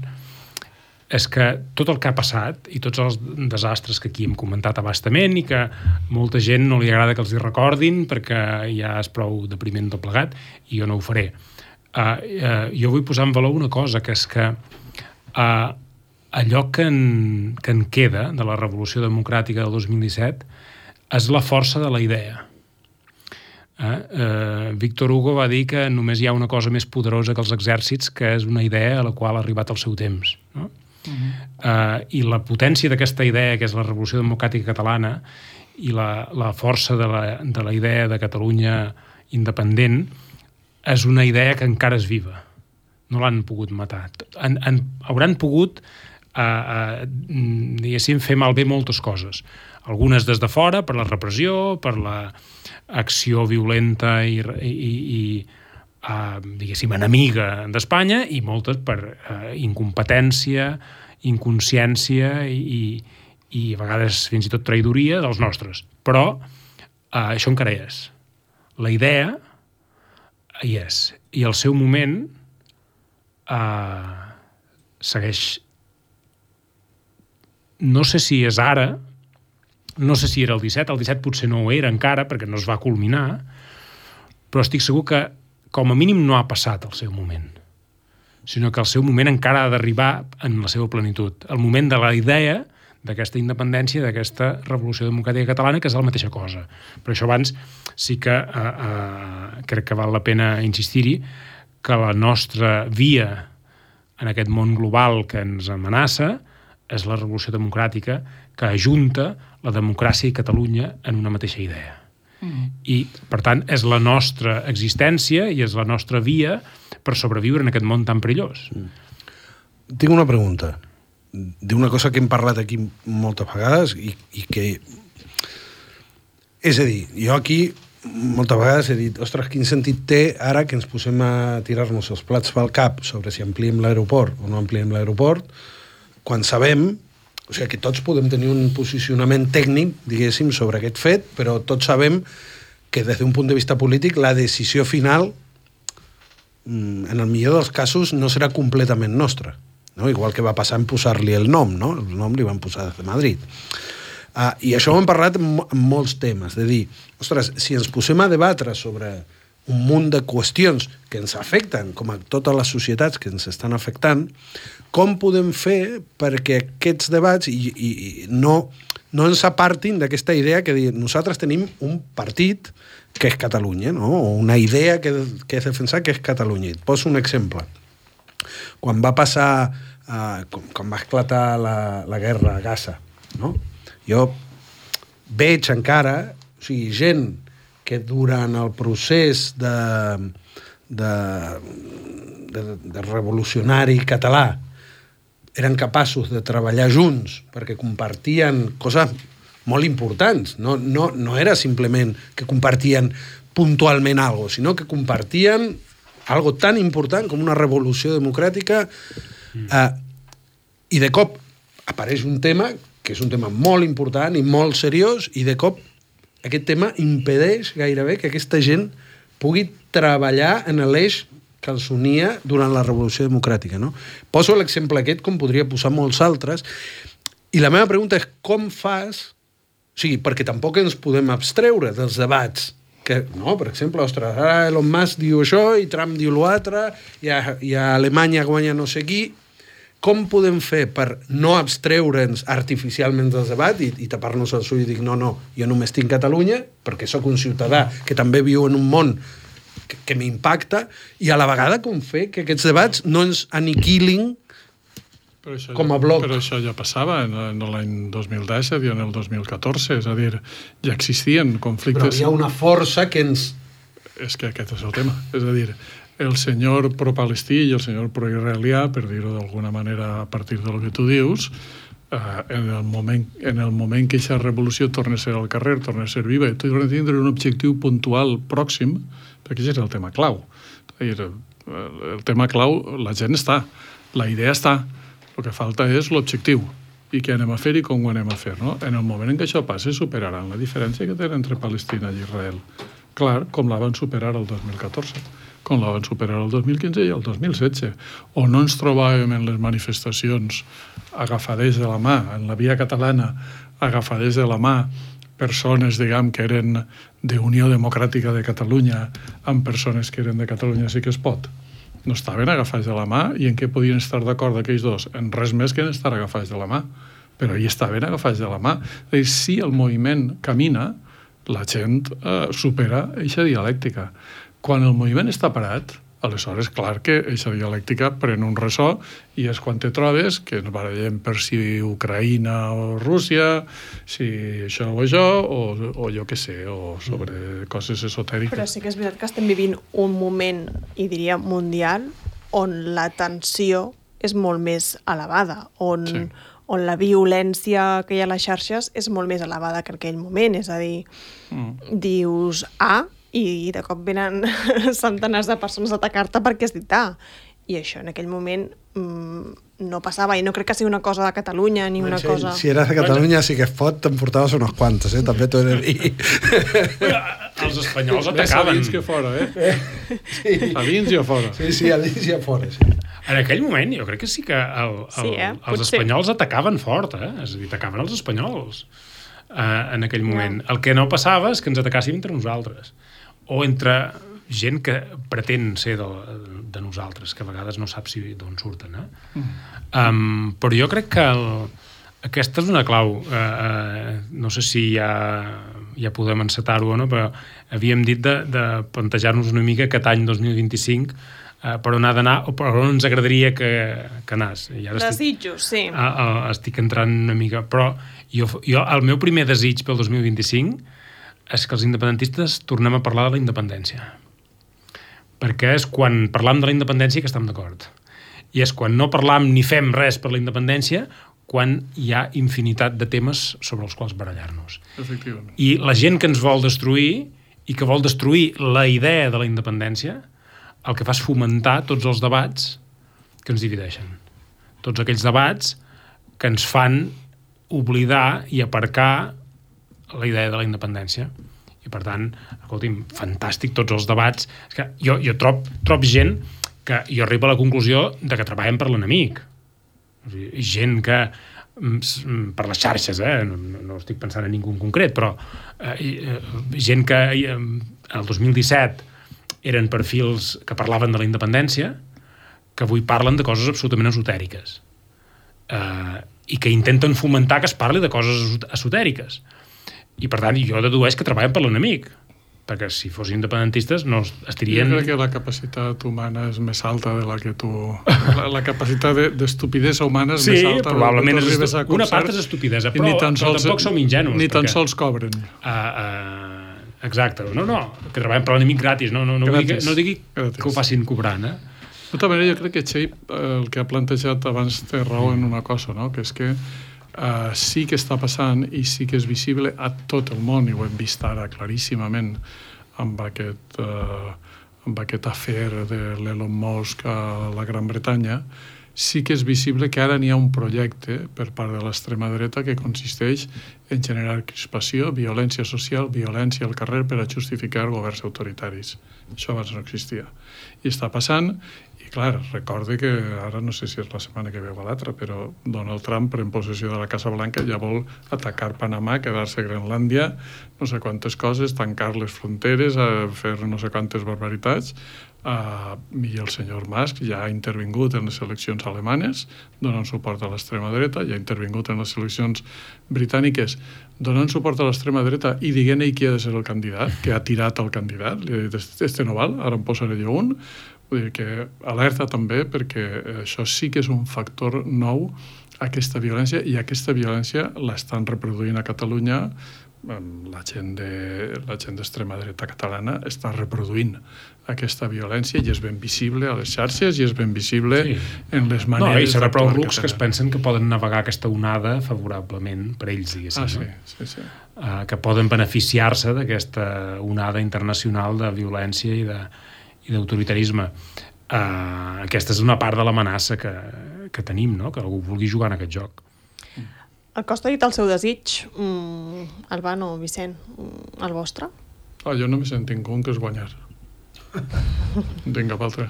Speaker 4: és que tot el que ha passat i tots els desastres que aquí hem comentat a bastament i que molta gent no li agrada que els hi recordin perquè ja és prou depriment tot plegat i jo no ho faré. Jo vull posar en valor una cosa, que és que allò que en queda de la Revolució Democràtica del 2017 és la força de la idea. Víctor Hugo va dir que només hi ha una cosa més poderosa que els exèrcits, que és una idea a la qual ha arribat el seu temps. No? I la potència d'aquesta idea, que és la Revolució Democràtica Catalana, i la força de la idea de Catalunya independent, és una idea que encara és viva. No l'han pogut matar. Hauran pogut, diguéssim, fer malbé moltes coses. Algunes des de fora, per la repressió, per l'acció violenta i diguéssim, enemiga d'Espanya, i moltes per incompetència, inconsciència i a vegades fins i tot traïdoria dels nostres. Però això encara hi és. La idea hi és. I el seu moment segueix... No sé si és ara, no sé si era el 17 potser no ho era encara, perquè no es va culminar, però estic segur que com a mínim no ha passat el seu moment, sinó que el seu moment encara ha d'arribar en la seva plenitud. El moment de la idea d'aquesta independència, d'aquesta Revolució Democràtica Catalana, que és la mateixa cosa. Per això abans sí que crec que val la pena insistir-hi que la nostra via en aquest món global que ens amenaça és la Revolució Democràtica, que ajunta la democràcia i Catalunya en una mateixa idea. I, per tant, és la nostra existència i és la nostra via per sobreviure en aquest món tan perillós.
Speaker 3: Tinc una pregunta d'una cosa que hem parlat aquí moltes vegades i que... És a dir, jo aquí moltes vegades he dit, ostres, quin sentit té ara que ens posem a tirar-nos els plats pel cap sobre si ampliem l'aeroport o no ampliem l'aeroport, quan sabem, o sigui, que tots podem tenir un posicionament tècnic, diguéssim, sobre aquest fet, però tots sabem que des d'un punt de vista polític la decisió final, en el millor dels casos, no serà completament nostra. No? Igual que va passar en posar-li el nom, no? El nom li van posar des de Madrid. I això ho hem parlat en molts temes, de dir, ostres, si ens posem a debatre sobre un munt de qüestions que ens afecten, com a totes les societats que ens estan afectant, com podem fer perquè aquests debats no ens apartin d'aquesta idea que nosaltres tenim un partit que és Catalunya, no? O una idea que és defensar que és Catalunya. Et poso un exemple. Quan va passar, quan va esclatar la guerra a Gaza, no? Jo veig encara, o sigui, gent que durant el procés de revolucionari català eren capaços de treballar junts perquè compartien coses molt importants. No era simplement que compartien puntualment algo, sinó que compartien algo tan important com una revolució democràtica i de cop apareix un tema que és un tema molt important i molt seriós i de cop aquest tema impedeix gairebé que aquesta gent pugui treballar en l'eix que els unia durant la Revolució Democràtica. No? Poso l'exemple aquest, com podria posar molts altres, i la meva pregunta és com fas... O sigui, perquè tampoc ens podem abstreure dels debats. Que, no? Per exemple, ostres, ara Elon Musk diu això i Trump diu l'altre i a Alemanya guanya no sé qui. Com podem fer per no abstreure'ns artificialment dels debats i tapar-nos el ull i dir no, jo només tinc Catalunya perquè sóc un ciutadà que també viu en un món que m'impacta i a la vegada com fer que aquests debats no ens aniquilin com a bloc.
Speaker 2: Però això ja passava en l'any 2010 i en el 2014, és a dir, ja existien conflictes...
Speaker 3: Però hi ha una força que ens...
Speaker 2: És que aquest és el tema, és a dir, el senyor pro-palestí i el senyor pro-israelià, per dir-ho d'alguna manera a partir del que tu dius, en el moment que aquesta revolució torna a ser al carrer, torna a ser viva, i torna a tindre un objectiu puntual pròxim, perquè aquest és el tema clau. El tema clau, la gent està, la idea està, el que falta és l'objectiu, i què anem a fer i com ho anem a fer. No? En el moment en què això passi, superaran la diferència que tenen entre Palestina i Israel. Clar, com la van superar el 2014, com la van superar el 2015 i el 2016, on no ens trobàvem en les manifestacions agafaders de la mà, en la via catalana, agafaders de la mà, persones, diguem, que eren d'Unió Democràtica de Catalunya amb persones que eren de Catalunya Sí que es pot. no estaven agafats de la mà, i en què podien estar d'acord aquells dos? En res més que en estar agafats de la mà. Però hi estaven agafats de la mà. És a dir, si el moviment camina, la gent supera aquesta dialèctica. Quan el moviment està parat, aleshores, clar que aquesta dialèctica pren un ressò i és quan te trobes que ens barallem per si Ucraïna o Rússia, si això o això, o jo què sé, o sobre coses esotèriques.
Speaker 1: Però sí que és veritat que estem vivint un moment, i diria mundial, on la tensió és molt més elevada, on la violència que hi ha a les xarxes és molt més elevada que en aquell moment. És a dir, dius A, i de cop venen centenars de persones a atacar-te perquè has dit A. I això en aquell moment no passava, i no crec que sigui una cosa de Catalunya ni una cosa...
Speaker 3: Si eres de Catalunya sí que es pot, te'n portaves unes quantes, també t'ho he de dir.
Speaker 4: Els espanyols atacaven.
Speaker 2: Més a dins que fora,
Speaker 3: Sí.
Speaker 2: A dins i a fora.
Speaker 3: Sí, a dins i a fora, sí.
Speaker 4: En aquell moment jo crec que sí que els espanyols atacaven fort, És a dir, atacaven els espanyols en aquell moment. El que no passava és que ens atacàssim entre nosaltres. O entre gent que pretén ser de nosaltres, que a vegades no sap d'on surten. Però jo crec que aquesta és una clau. No sé si ja podem encetar-ho o no, però havíem dit de plantejar-nos una mica aquest any 2025 per on ha d'anar o per on ens agradaria que anés.
Speaker 1: Desitjos, sí.
Speaker 4: Estic entrant una mica, però jo el meu primer desig pel 2025 és que els independentistes tornem a parlar de la independència. Perquè és quan parlam de la independència que estem d'acord. I és quan no parlam ni fem res per la independència quan hi ha infinitat de temes sobre els quals barallar-nos.
Speaker 2: Efectivament.
Speaker 4: I la gent que ens vol destruir i que vol destruir la idea de la independència, el que fa és fomentar tots els debats que ens divideixen. Tots aquells debats que ens fan oblidar i aparcar la idea de la independència. I per tant, escolti'm, fantàstic tots els debats. És que jo trob gent que jo arribo a la conclusió de que treballen per l'enemic. O sigui, gent que per les xarxes, no estic pensant en ningú en concret, però gent que el 2017 eren perfils que parlaven de la independència, que avui parlen de coses absolutament esotèriques. I que intenten fomentar que es parli de coses esotèriques. I, per tant, jo dedueix que treballen per l'enemic, perquè si fos independentistes no estarien...
Speaker 2: Jo crec que la capacitat humana és més alta de la que tu... La capacitat d'estupidesa humana és més alta.
Speaker 4: Sí, probablement una part és estupidesa, però tampoc som ingenus.
Speaker 2: Ni tan sols cobren.
Speaker 4: Exacte. No, que treballen per l'enemic gratis. No digui que ho facin cobrant,
Speaker 2: De tota manera, jo crec que Txell, el que ha plantejat abans, té raó en una cosa, no? Que és que sí que està passant i sí que és visible a tot el món, i ho hem vist ara claríssimament amb aquest afer de l'Elon Musk a la Gran Bretanya. Sí que és visible que ara n'hi ha un projecte per part de l'extrema dreta que consisteix en generar crispació, violència social, violència al carrer per a justificar governs autoritaris. Això abans no existia. I està passant. I clar, recorde que ara no sé si és la setmana que ve o l'altra, però Donald Trump, en possessió de la Casa Blanca, ja vol atacar Panamà, quedar-se a Grenlàndia, no sé quantes coses, tancar les fronteres, fer no sé quantes barbaritats. I el senyor Musk ja ha intervingut en les eleccions alemanes, donant suport a l'extrema dreta, ja ha intervingut en les eleccions britàniques, donant suport a l'extrema dreta i dient ell qui ha de ser el candidat, que ha tirat el candidat, li ha dit, este no val, ara em posaré jo un. Vull dir que alerta també perquè això sí que és un factor nou, aquesta violència, i aquesta violència l'estan reproduint a Catalunya. La gent d'extrema dreta catalana està reproduint aquesta violència i és ben visible a les xarxes i és ben visible en les maneres...
Speaker 4: No, i serà prou rucs que es pensen que poden navegar aquesta onada favorablement per ells, diguéssim.
Speaker 2: Sí.
Speaker 4: Que poden beneficiar-se d'aquesta onada internacional de violència i d'autoritarisme. Aquesta és una part de l'amenaça que tenim, no? Que algú vulgui jugar en aquest joc.
Speaker 1: El Costa ha dit el seu desig, Albano, Vicent, el vostre?
Speaker 2: Jo només en tinc un, que és guanyar. No tinc cap altre.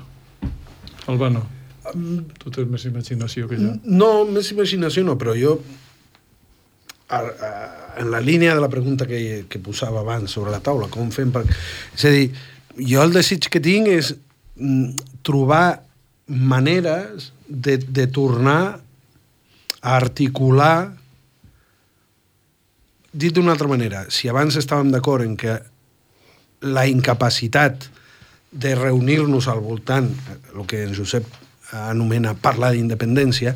Speaker 2: Albano, tu tens més imaginació que jo.
Speaker 3: No, més imaginació no, però jo, en la línia de la pregunta que posava abans sobre la taula, com fem per... És a dir, jo el desig que tinc és trobar maneres de tornar a articular. Dit d'una altra manera, si abans estàvem d'acord en que la incapacitat de reunir-nos al voltant, el que en Josep anomena parlar d'independència,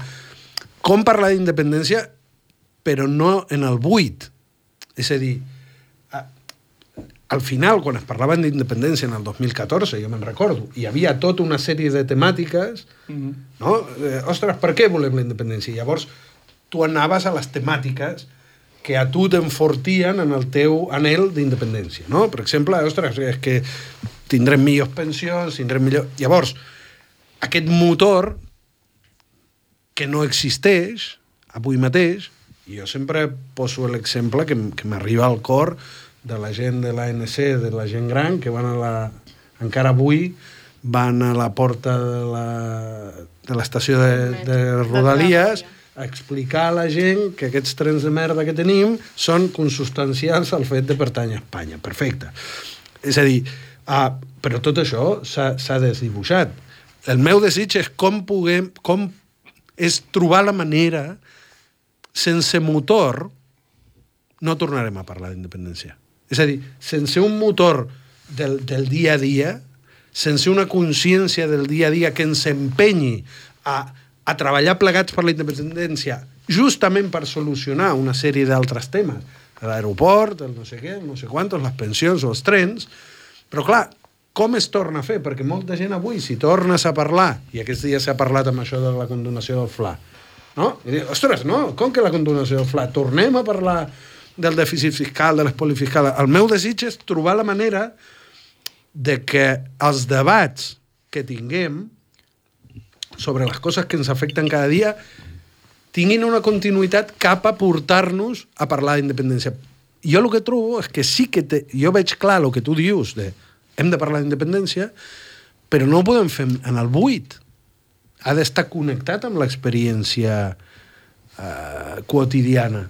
Speaker 3: com parlar d'independència, però no en el buit. És a dir, al final, quan es parlaven d'independència en el 2014, jo me'n recordo, hi havia tota una sèrie de temàtiques, no? Ostres, per què volem la independència? I llavors, tu anaves a les temàtiques que a tu t'enfortien en el teu anhel d'independència, no? Per exemple, ostres, és que tindrem millors pensions, tindrem millor... Llavors, aquest motor que no existeix avui mateix, i jo sempre poso l'exemple que m'arriba al cor de la gent de l'ANC, de la gent gran, que van encara avui van a la porta de l'estació de Rodalies a explicar a la gent que aquests trens de merda que tenim són consubstancials al fet de pertànyer a Espanya. Perfecte. És a dir, però tot això s'ha desdibuixat. El meu desig és com és trobar la manera, sense motor no tornarem a parlar d'independència. És a dir, sense un motor del dia a dia, sense una consciència del dia a dia que ens empenyi a treballar plegats per la independència, justament per solucionar una sèrie d'altres temes, l'aeroport, el no sé què, el no sé quantos, les pensions o els trens, però clar, com es torna a fer? Perquè molta gent avui, si tornes a parlar, i aquests dies s'ha parlat amb això de la condonació del FLA, no? I dic, ostres, no, com que la condonació del FLA? Tornem a parlar del dèficit fiscal, de l'espoli fiscal. El meu desig és trobar la manera de que els debats que tinguem sobre les coses que ens afecten cada dia tinguin una continuïtat cap a portar-nos a parlar d'independència. Jo el que trobo és que sí que jo veig clar el que tu dius de hem de parlar d'independència, però no ho podem fer en el buit. Ha d'estar connectat amb l'experiència quotidiana.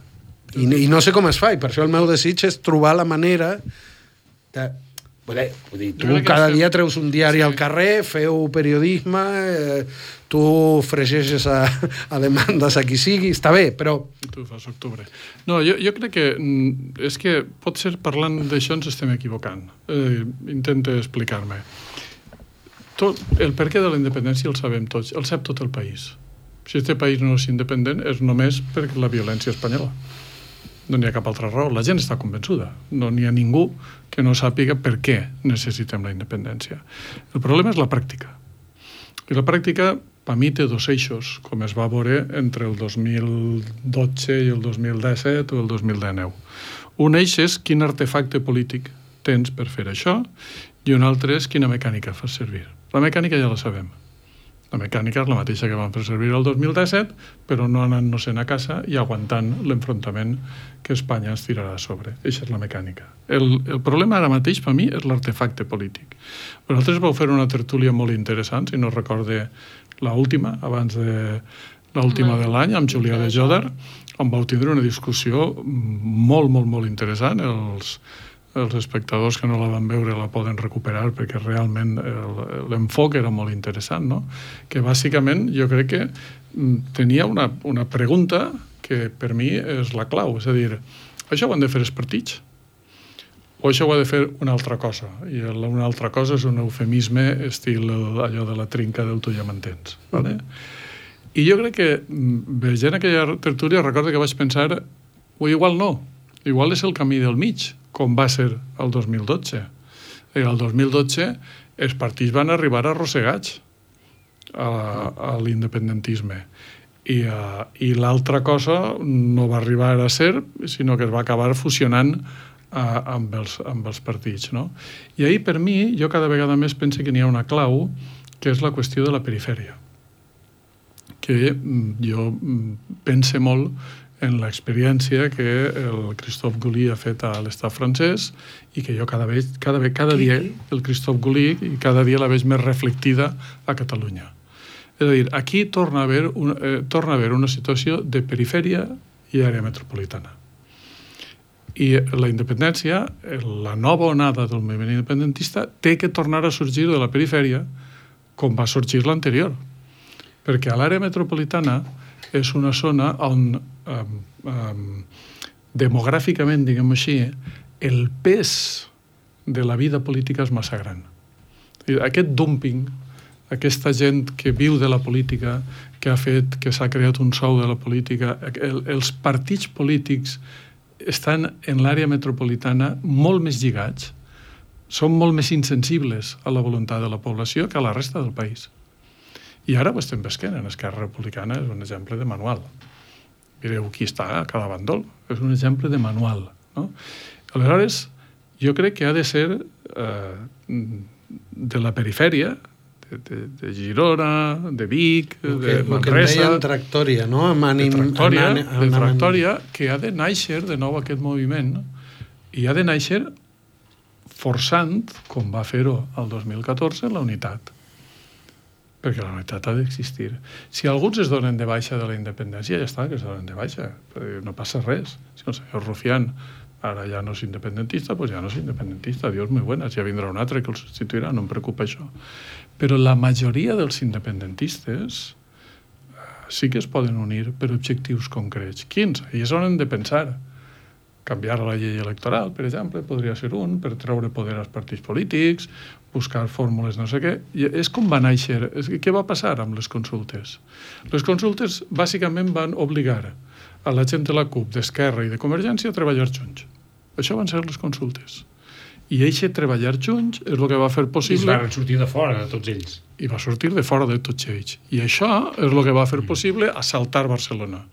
Speaker 3: I no sé com es fa, i per això el meu desig és trobar la manera de... Vull dir, tu cada dia treus un diari al carrer, feu periodisme, tu fregeixes a demandes a qui sigui, està bé, però...
Speaker 2: Tu fas octubre. No, jo crec que és que potser parlant d'això ens estem equivocant. Intento explicar-me. El perquè de la independència el sabem tots, el sap tot el país. Si este país no és independent és només per la violència espanyola. No n'hi ha cap altra raó. La gent està convençuda. No n'hi ha ningú que no sàpiga per què necessitem la independència. El problema és la pràctica. I la pràctica, per mi, té dos eixos, com es va veure entre el 2012 i el 2017 o el 2019. Un eix és quin artefacte polític tens per fer això i un altre és quina mecànica fas servir. La mecànica ja la sabem. La mecànica és la mateixa que vam fer servir el 2017, però no anant-nos-en a casa i aguantant l'enfrontament que Espanya ens tirarà a sobre. Això és la mecànica. El problema ara mateix, per mi, és l'artefacte polític. Vosaltres vau fer una tertúlia molt interessant, si no recorde l'última, abans de l'última de l'any, amb Julià de Jòdar, on vau tindre una discussió molt, molt, molt interessant. Els espectadors que no la van veure la poden recuperar perquè realment l'enfoc era molt interessant, no? Que bàsicament jo crec que tenia una pregunta que per mi és la clau, és a dir, això ho han de fer els partits o això ho ha de fer una altra cosa? I una altra cosa és un eufemisme estil allò de la trinca del tu ja m'entens, ¿vale? I jo crec que veient aquella tertúlia recordo que vaig pensar o igual no, igual és el camí del mig, com va ser el 2012. El 2012 els partits van arribar arrossegats a l'independentisme i l'altra cosa no va arribar a ser, sinó que es va acabar fusionant amb els partits, no? I ahir, per mi, jo cada vegada més penso que n'hi ha una clau, que és la qüestió de la perifèria, que jo pense molt en l'experiència que el Christophe Gaulle ha fet a l'estat francès i que jo cada dia el Christophe Gaulle i cada dia la veig més reflectida a Catalunya. És a dir, aquí torna a haver una situació de perifèria i àrea metropolitana. I la independència, la nova onada del moviment independentista, té que tornar a sorgir de la perifèria com va sorgir l'anterior. perquè a l'àrea metropolitana és una zona on demogràficament, diguem així, el pes de la vida política és massa gran. Aquest dumping, aquesta gent que viu de la política, que ha fet, que s'ha creat un sou de la política, els partits polítics estan en l'àrea metropolitana molt més lligats, són molt més insensibles a la voluntat de la població que a la resta del país. I ara ho estem pesquent en Esquerra Republicana, és un exemple de manual. Mireu qui està a cada bandol, és un exemple de manual. No? Aleshores, jo crec que ha de ser de la perifèria, de Girona, de Vic, de Manresa... El que
Speaker 3: deien tractòria, no?
Speaker 2: De tractòria, que ha de néixer de nou aquest moviment i ha de néixer forçant, com va fer-ho el 2014, la unitat. Perquè la unitat ha d'existir. Si alguns es donen de baixa de la independència, ja està, que es donen de baixa. No passa res. Si el senyor Rufián ara ja no és independentista, doncs ja no és independentista. Dios muy buenas, ja vindrà un altre que el substituirà, no em preocupa això. Però la majoria dels independentistes sí que es poden unir per objectius concrets. Quins? Ells han de pensar. Canviar la llei electoral, per exemple, podria ser un, per treure poder als partits polítics, buscar fórmules no sé què. I és com va néixer. Què va passar amb les consultes? Les consultes bàsicament van obligar a la gent de la CUP, d'Esquerra i de Convergència a treballar junts. Això van ser les consultes. I aquest treballar junts és el que va fer possible...
Speaker 4: I van sortir de fora de tots ells.
Speaker 2: I va sortir de fora de tots ells. I això és el que va fer possible assaltar Barcelona.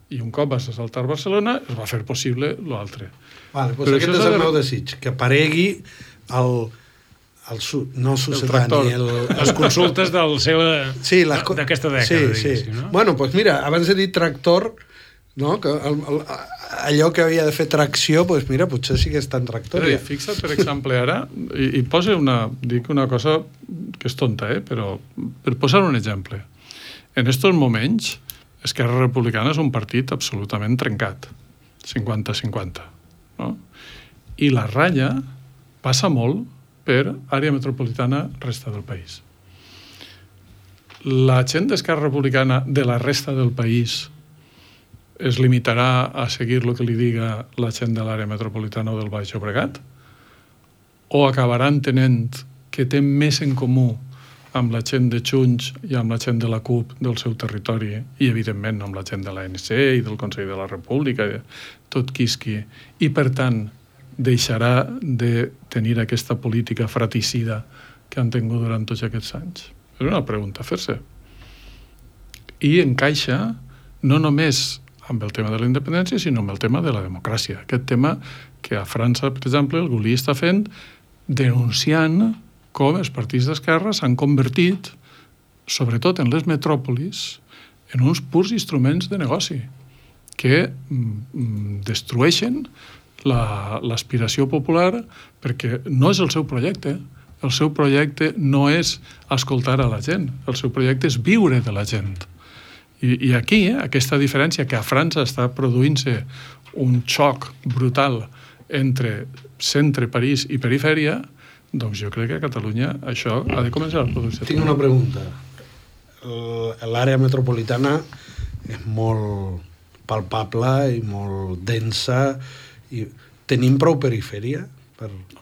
Speaker 2: I un cop vas assaltar Barcelona, es va fer possible l'altre.
Speaker 3: Vale, doncs aquest és el meu desig, que aparegui no sucedani,
Speaker 4: les consultes del seu...
Speaker 3: Sí,
Speaker 4: d'aquesta dècada.
Speaker 3: Sí. No? Bueno, doncs mira, abans de dir tractor, no? Que allò que havia de fer tracció, doncs mira, potser sí que està en tractòria.
Speaker 2: Fixa't, per exemple, ara, i posa dic una cosa que és tonta, però per posar un exemple. En estos moments, Esquerra Republicana és un partit absolutament trencat, 50-50. No? I la ratlla passa molt per àrea metropolitana resta del país. La gent d'Esquerra Republicana de la resta del país es limitarà a seguir el que li diga la gent de l'àrea metropolitana o del Baix Llobregat? O acabarà entenent que té més en comú amb la gent de Junts i amb la gent de la CUP del seu territori i, evidentment, amb la gent de l'ANC i del Consell de la República, tot quisqui, i, per tant, deixarà de tenir aquesta política fratricida que han tingut durant tots aquests anys? És una pregunta a fer-se. I encaixa no només amb el tema de la independència, sinó amb el tema de la democràcia. Aquest tema que a França, per exemple, el Gulli està fent denunciant com els partits d'esquerra s'han convertit, sobretot en les metròpolis, en uns purs instruments de negoci que destrueixen l'aspiració popular perquè no és el seu projecte. El seu projecte no és escoltar a la gent, el seu projecte és viure de la gent. I aquí, aquesta diferència que a França està produint-se un xoc brutal entre centre, París i perifèria, doncs jo crec que a Catalunya això ha de començar a produir-se.
Speaker 3: Tinc una pregunta. L'àrea metropolitana és molt palpable i molt densa. Tenim prou perifèria?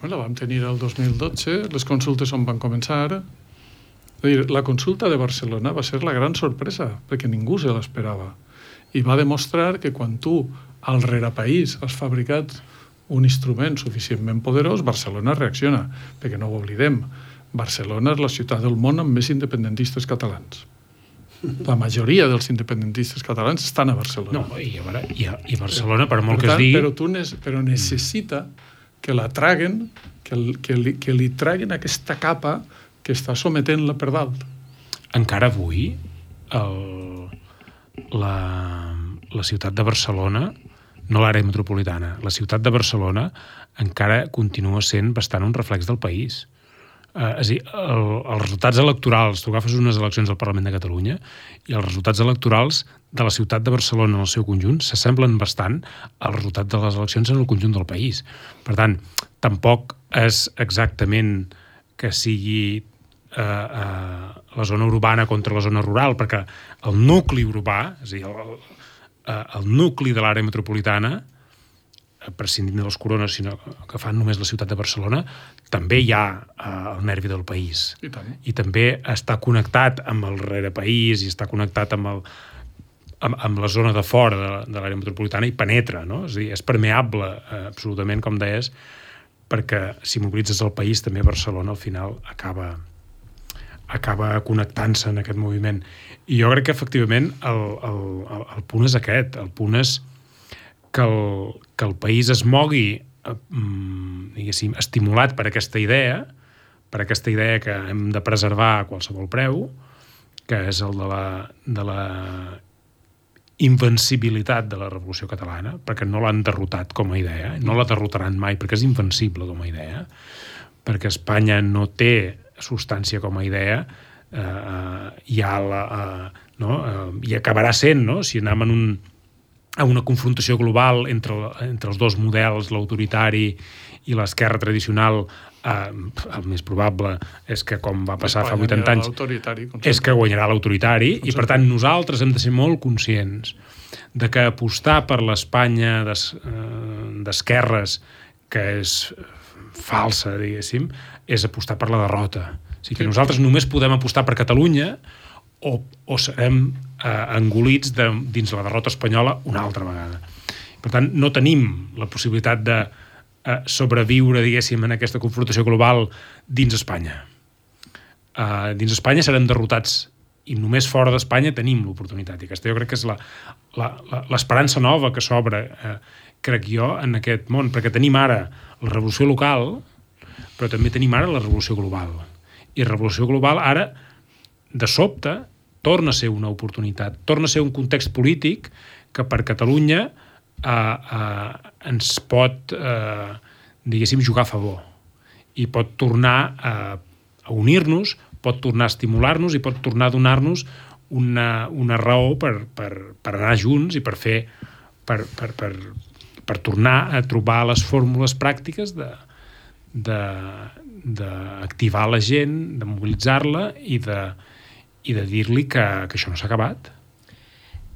Speaker 2: La vam tenir el 2012, les consultes on van començar. La consulta de Barcelona va ser la gran sorpresa, perquè ningú se l'esperava. I va demostrar que quan tu, al rerepaís, has fabricat un instrument suficientment poderós, Barcelona reacciona, perquè no ho oblidem. Barcelona és la ciutat del món amb més independentistes catalans. La majoria dels independentistes catalans estan a Barcelona.
Speaker 4: No, i Barcelona, per molt que es digui...
Speaker 2: Però necessita que la traguen, que li traguen aquesta capa que està sometent-la per dalt.
Speaker 4: Encara avui, la ciutat de Barcelona, no l'àrea metropolitana, la ciutat de Barcelona encara continua sent bastant un reflex del país. És a dir, els resultats electorals, tu agafes unes eleccions al Parlament de Catalunya i els resultats electorals de la ciutat de Barcelona en el seu conjunt s'assemblen bastant als resultats de les eleccions en el conjunt del país. Per tant, tampoc és exactament que sigui la zona urbana contra la zona rural, perquè el nucli urbà, és a dir, el nucli de l'àrea metropolitana, prescindint de les corones, sinó que fan només la ciutat de Barcelona, també hi ha el nervi del país.
Speaker 2: I tant.
Speaker 4: I també està connectat amb el rerepaís i està connectat amb la zona de fora de l'àrea metropolitana i penetra, no? És a dir, és permeable absolutament, com deies, perquè si mobilitzes el país, també Barcelona al final acaba connectant-se en aquest moviment. I jo crec que efectivament el punt és aquest, el punt és que el país es mogui diguéssim, estimulat per aquesta idea que hem de preservar a qualsevol preu, que és el de la invencibilitat de la Revolució Catalana, perquè no l'han derrotat com a idea, no la derrotaran mai, perquè és invencible com a idea, perquè Espanya no té substància com a idea, i acabarà sent, no? Si anem a una confrontació global entre els dos models, l'autoritari i l'esquerra tradicional, el més probable és que, com va passar fa 80 anys, és que guanyarà l'autoritari, i per tant nosaltres hem de ser molt conscients de que apostar per l'Espanya d'esquerres, que és falsa, diguéssim, és apostar per la derrota. O sigui que nosaltres només podem apostar per Catalunya o serem engolits dins la derrota espanyola una altra vegada. Per tant, no tenim la possibilitat de sobreviure, diguéssim, en aquesta confrontació global dins Espanya. Dins Espanya serem derrotats i només fora d'Espanya tenim l'oportunitat. I aquesta jo crec que és l'esperança nova que s'obre, crec jo, en aquest món, perquè tenim ara la revolució local, però també tenim ara la revolució global. I la revolució global ara, de sobte, torna a ser una oportunitat, torna a ser un context polític que per Catalunya ens pot, diguéssim, jugar a favor i pot tornar a unir-nos, pot tornar a estimular-nos i pot tornar a donar-nos una raó per anar junts i per tornar a trobar les fórmules pràctiques d'activar la gent, de mobilitzar-la i de dir-li que això no s'ha acabat.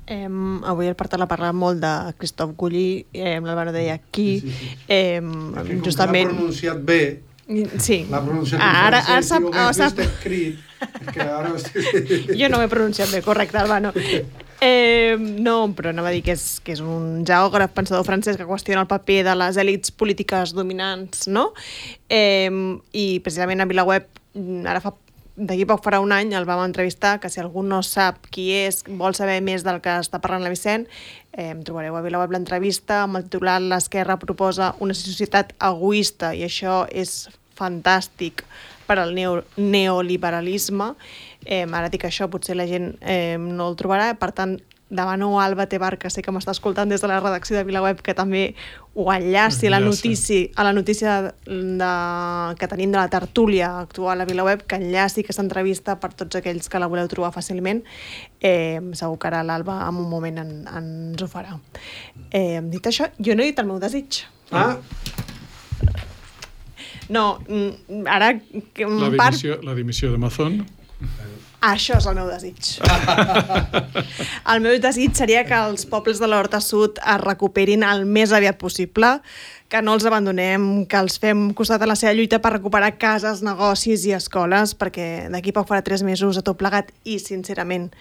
Speaker 1: Avui el Partal ha parlat molt de Christophe Gully, l'Alvaro deia aquí, justament...
Speaker 3: L'ha pronunciat bé,
Speaker 1: sí.
Speaker 3: L'ha pronunciat en francès, i ho he vist escrit, que ara...
Speaker 1: Jo no m'he pronunciat bé, correcte, Albano. No, però anava a dir que és un geògraf, pensador francès que qüestiona el paper de les èlits polítiques dominants, no? I precisament a VilaWeb, d'aquí poc farà un any, el vam entrevistar, que si algú no sap qui és, vol saber més del que està parlant la Vicent, trobareu a VilaWeb l'entrevista amb el titular «L'esquerra proposa una societat egoista», i això és fantàstic per al neoliberalisme. Ara dic això, potser la gent no el trobarà, per tant, demano a Alba Tebar, que sé que m'està escoltant des de la redacció de VilaWeb, que també ho enllaci a la notícia que tenim de la tertúlia actual a VilaWeb, que enllaci aquesta entrevista per tots aquells que la voleu trobar fàcilment. Segur que ara l'Alba en un moment ens ho farà. Dit això, jo no he dit el meu desig. No, ara...
Speaker 2: La dimissió de Mazón.
Speaker 1: Això és el meu desig. El meu desig seria que els pobles de l'Horta Sud es recuperin el més aviat possible, que no els abandonem, que els fem costat a la seva lluita per recuperar cases, negocis i escoles, perquè d'aquí poc farà 3 mesos a tot plegat i, sincerament,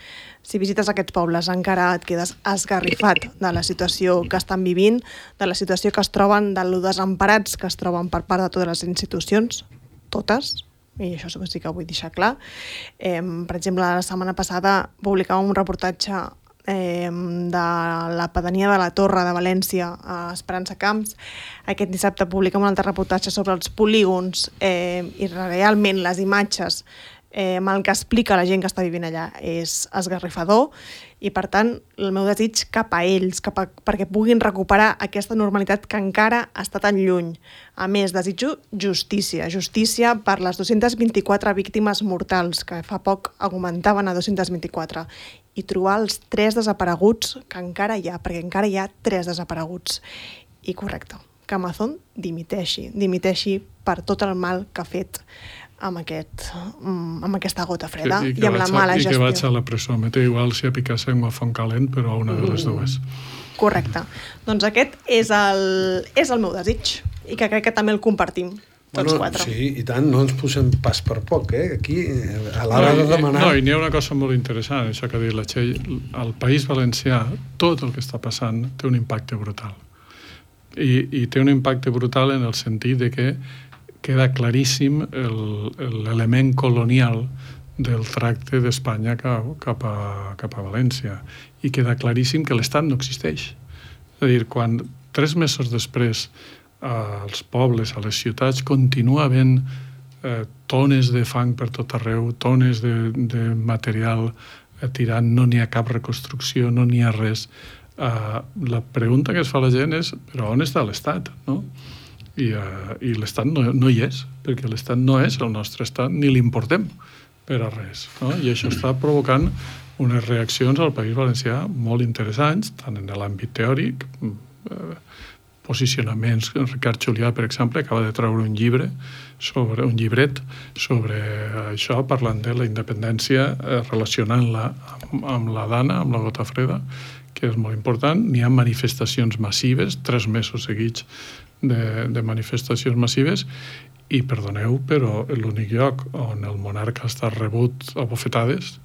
Speaker 1: si visites aquests pobles encara et quedes esgarrifat de la situació que estan vivint, de la situació que es troben, de lo desemparats que es troben per part de totes les institucions, totes, i això sí que ho vull deixar clar. Per exemple, la setmana passada publicàvem un reportatge de la pedania de la Torre de València a Esperança Camps. Aquest dissabte publiquem un altre reportatge sobre els polígons i realment les imatges amb el que explica la gent que està vivint allà és esgarrifador, i per tant el meu desig cap a ells, perquè puguin recuperar aquesta normalitat que encara està tan lluny. A més, desitjo justícia per les 224 víctimes mortals, que fa poc augmentaven a 224, i trobar els 3 desapareguts que encara hi ha, perquè encara hi ha 3 desapareguts. I correcte, que Mazón dimiteixi per tot el mal que ha fet amb aquesta gota freda i amb la
Speaker 2: vaig
Speaker 1: mala gestió.
Speaker 2: I que vaig a la presó. M'he igual si a Picassent o a Fontcalent, però a una de les dues.
Speaker 1: Correcte. Doncs aquest és el meu desig i que crec que també el compartim tots quatre.
Speaker 3: Sí, i tant, no ens posem pas per poc, aquí, a l'hora de demanar...
Speaker 2: No, i n'hi ha una cosa molt interessant, això que ha dit la Txell. Al País Valencià, tot el que està passant té un impacte brutal. I té un impacte brutal en el sentit de que queda claríssim l'element colonial del tracte d'Espanya cap a València. I queda claríssim que l'Estat no existeix. És a dir, quan 3 mesos després als pobles, a les ciutats, continua havent tones de fang per tot arreu, tones de material tirant, no n'hi ha cap reconstrucció, no n'hi ha res. La pregunta que es fa la gent és, però on està l'Estat? No? I l'Estat no hi és, perquè l'Estat no és el nostre Estat, ni l'importem per a res. No? I això està provocant unes reaccions al País Valencià molt interessants, tant en l'àmbit teòric, posicionaments. Ricard Julià, per exemple, acaba de treure un llibret sobre això, parlant de la independència, relacionant-la amb la Dana, amb la gota freda, que és molt important. N'hi ha manifestacions massives, 3 mesos seguits de manifestacions massives, i perdoneu, però l'únic lloc on el monarca ha estat rebut a bofetades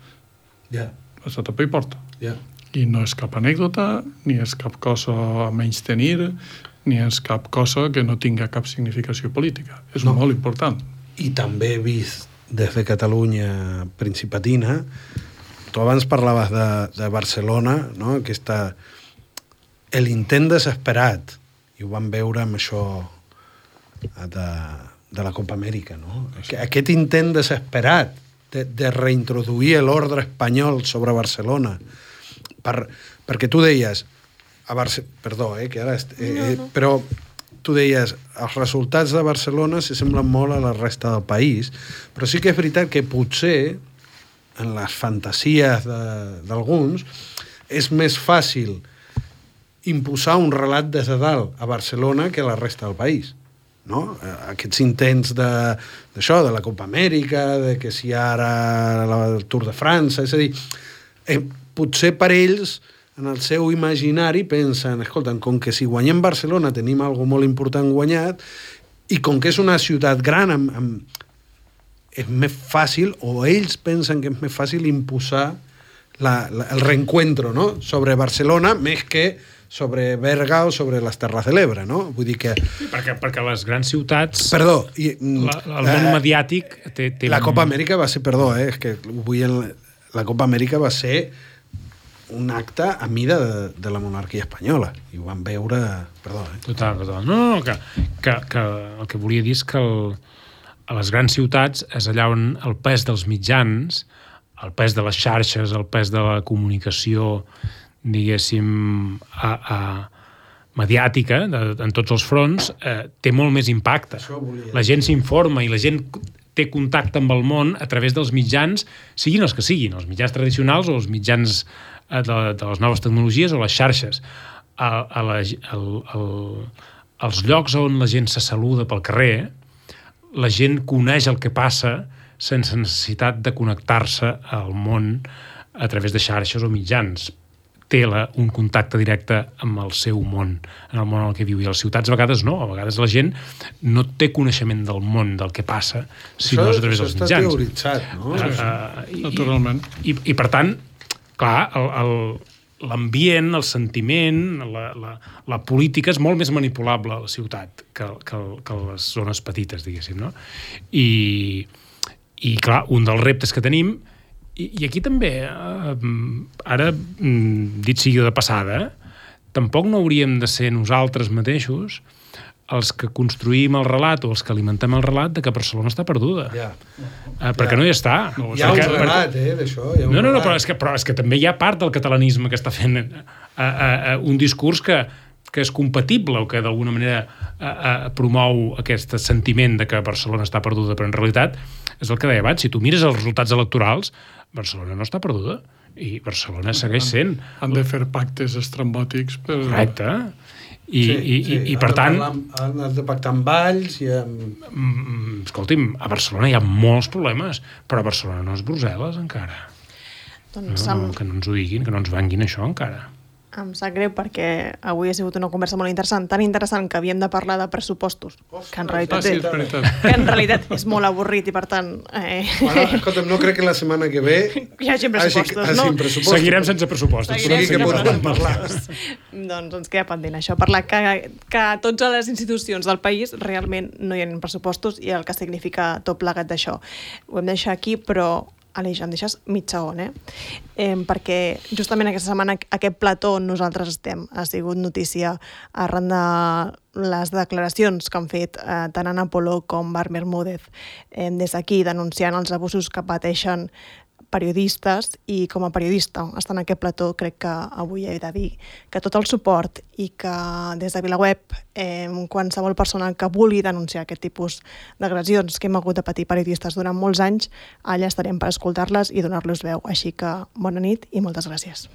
Speaker 2: ha estat a peu i porta. I no és cap anècdota, ni és cap cosa a menystenir, ni és cap cosa que no tinga cap significació política. És molt important.
Speaker 3: I també vist des de Catalunya principatina, tu abans parlaves de Barcelona, no? L'intent desesperat, i ho vam veure amb això de la Copa Amèrica, no? Aquest intent desesperat de reintroduir l'ordre espanyol sobre Barcelona, perquè tu deies però tu deies els resultats de Barcelona s'assemblen molt a la resta del país, però sí que és veritat que potser en les fantasies d'alguns és més fàcil imposar un relat des de dalt a Barcelona que a la resta del país, no? Aquests intents d'això, de la Copa Amèrica, de que si ara el Tour de França, és a dir, potser per ells en el seu imaginari pensen, escolta, com que si guanyem Barcelona tenim alguna molt important guanyat, i com que és una ciutat gran, és més fàcil, o ells pensen que és més fàcil imposar el reencuentro, no? Sobre Barcelona, més que sobre Berga o sobre les Terres de l'Ebre, no? Vull dir que...
Speaker 4: Perquè les grans ciutats...
Speaker 3: Perdó.
Speaker 4: El món mediàtic té...
Speaker 3: La Copa Amèrica va ser... Perdó, és que la Copa Amèrica va ser un acte a mida de la monarquia espanyola. I ho vam veure... Perdó,
Speaker 4: Total. No, que el que volia dir és que a les grans ciutats és allà on el pes dels mitjans, el pes de les xarxes, el pes de la comunicació, diguéssim, mediàtica, en tots els fronts, té molt més impacte. La gent s'informa i la gent té contacte amb el món a través dels mitjans, siguin els que siguin, els mitjans tradicionals o els mitjans de les noves tecnologies o les xarxes. Als llocs on la gent se saluda pel carrer, la gent coneix el que passa sense necessitat de connectar-se al món a través de xarxes o mitjans. Té un contacte directe amb el seu món, en el món en el que viu. I a les ciutats a vegades no, a vegades la gent no té coneixement del món, del que passa, sinó a través dels mitjans.
Speaker 3: Això està teoritzat, no?
Speaker 2: Naturalment.
Speaker 4: I per tant, clar, l'ambient, el sentiment, la política és molt més manipulable a la ciutat que les zones petites, diguéssim, no? I clar, un dels reptes que tenim, i aquí també, ara, dit sigui de passada, tampoc no hauríem de ser nosaltres mateixos els que construïm el relat o els que alimentem el relat de que Barcelona està perduda. Perquè no hi està.
Speaker 3: Hi ha un relat, d'això.
Speaker 4: No, però és que també hi ha part del catalanisme que està fent un discurs que és compatible o que d'alguna manera promou aquest sentiment de que Barcelona està perduda, però en realitat és el que deia abans, si tu mires els resultats electorals, Barcelona no està perduda. I Barcelona segueix sent.
Speaker 2: Han de fer pactes estrambòtics per...
Speaker 4: Correcte. I per tant...
Speaker 3: Han de pactar amb Valls i amb...
Speaker 4: Escolti'm, a Barcelona hi ha molts problemes, però Barcelona no és Brussel·les encara.
Speaker 1: Doncs
Speaker 4: Que no ens ho diguin, que no ens venguin això encara.
Speaker 1: em sap greu perquè avui ha sigut una conversa molt interessant, tan interessant que havíem de parlar de pressupostos, que en realitat,
Speaker 2: sí, és veritat.
Speaker 1: que en realitat és molt avorrit i per tant...
Speaker 3: Bueno, escolta'm, no crec que la setmana que ve
Speaker 1: hi hagi pressupostos, no?
Speaker 3: pressupostos.
Speaker 4: Seguirem sense pressupostos.
Speaker 1: Seguirem
Speaker 3: que
Speaker 1: sense
Speaker 3: podem parlar.
Speaker 1: Doncs ens queda pendent això, parlar que a totes les institucions del país realment no hi ha pressupostos i el que significa tot plegat d'això. Ho hem de deixar aquí, però Aleix, em deixes mig segon, perquè justament aquesta setmana aquest plató on nosaltres estem ha sigut notícia arran de les declaracions que han fet tant Ana Poló com Marc Bermúdez des d'aquí denunciant els abusos que pateixen periodistes, i com a periodista estar en aquest plató crec que avui he de dir que tot el suport i que des de VilaWeb qualsevol persona que vulgui denunciar aquest tipus d'agressions que hem hagut de patir periodistes durant molts anys, allà estarem per escoltar-les i donar-los veu. Així que bona nit i moltes gràcies.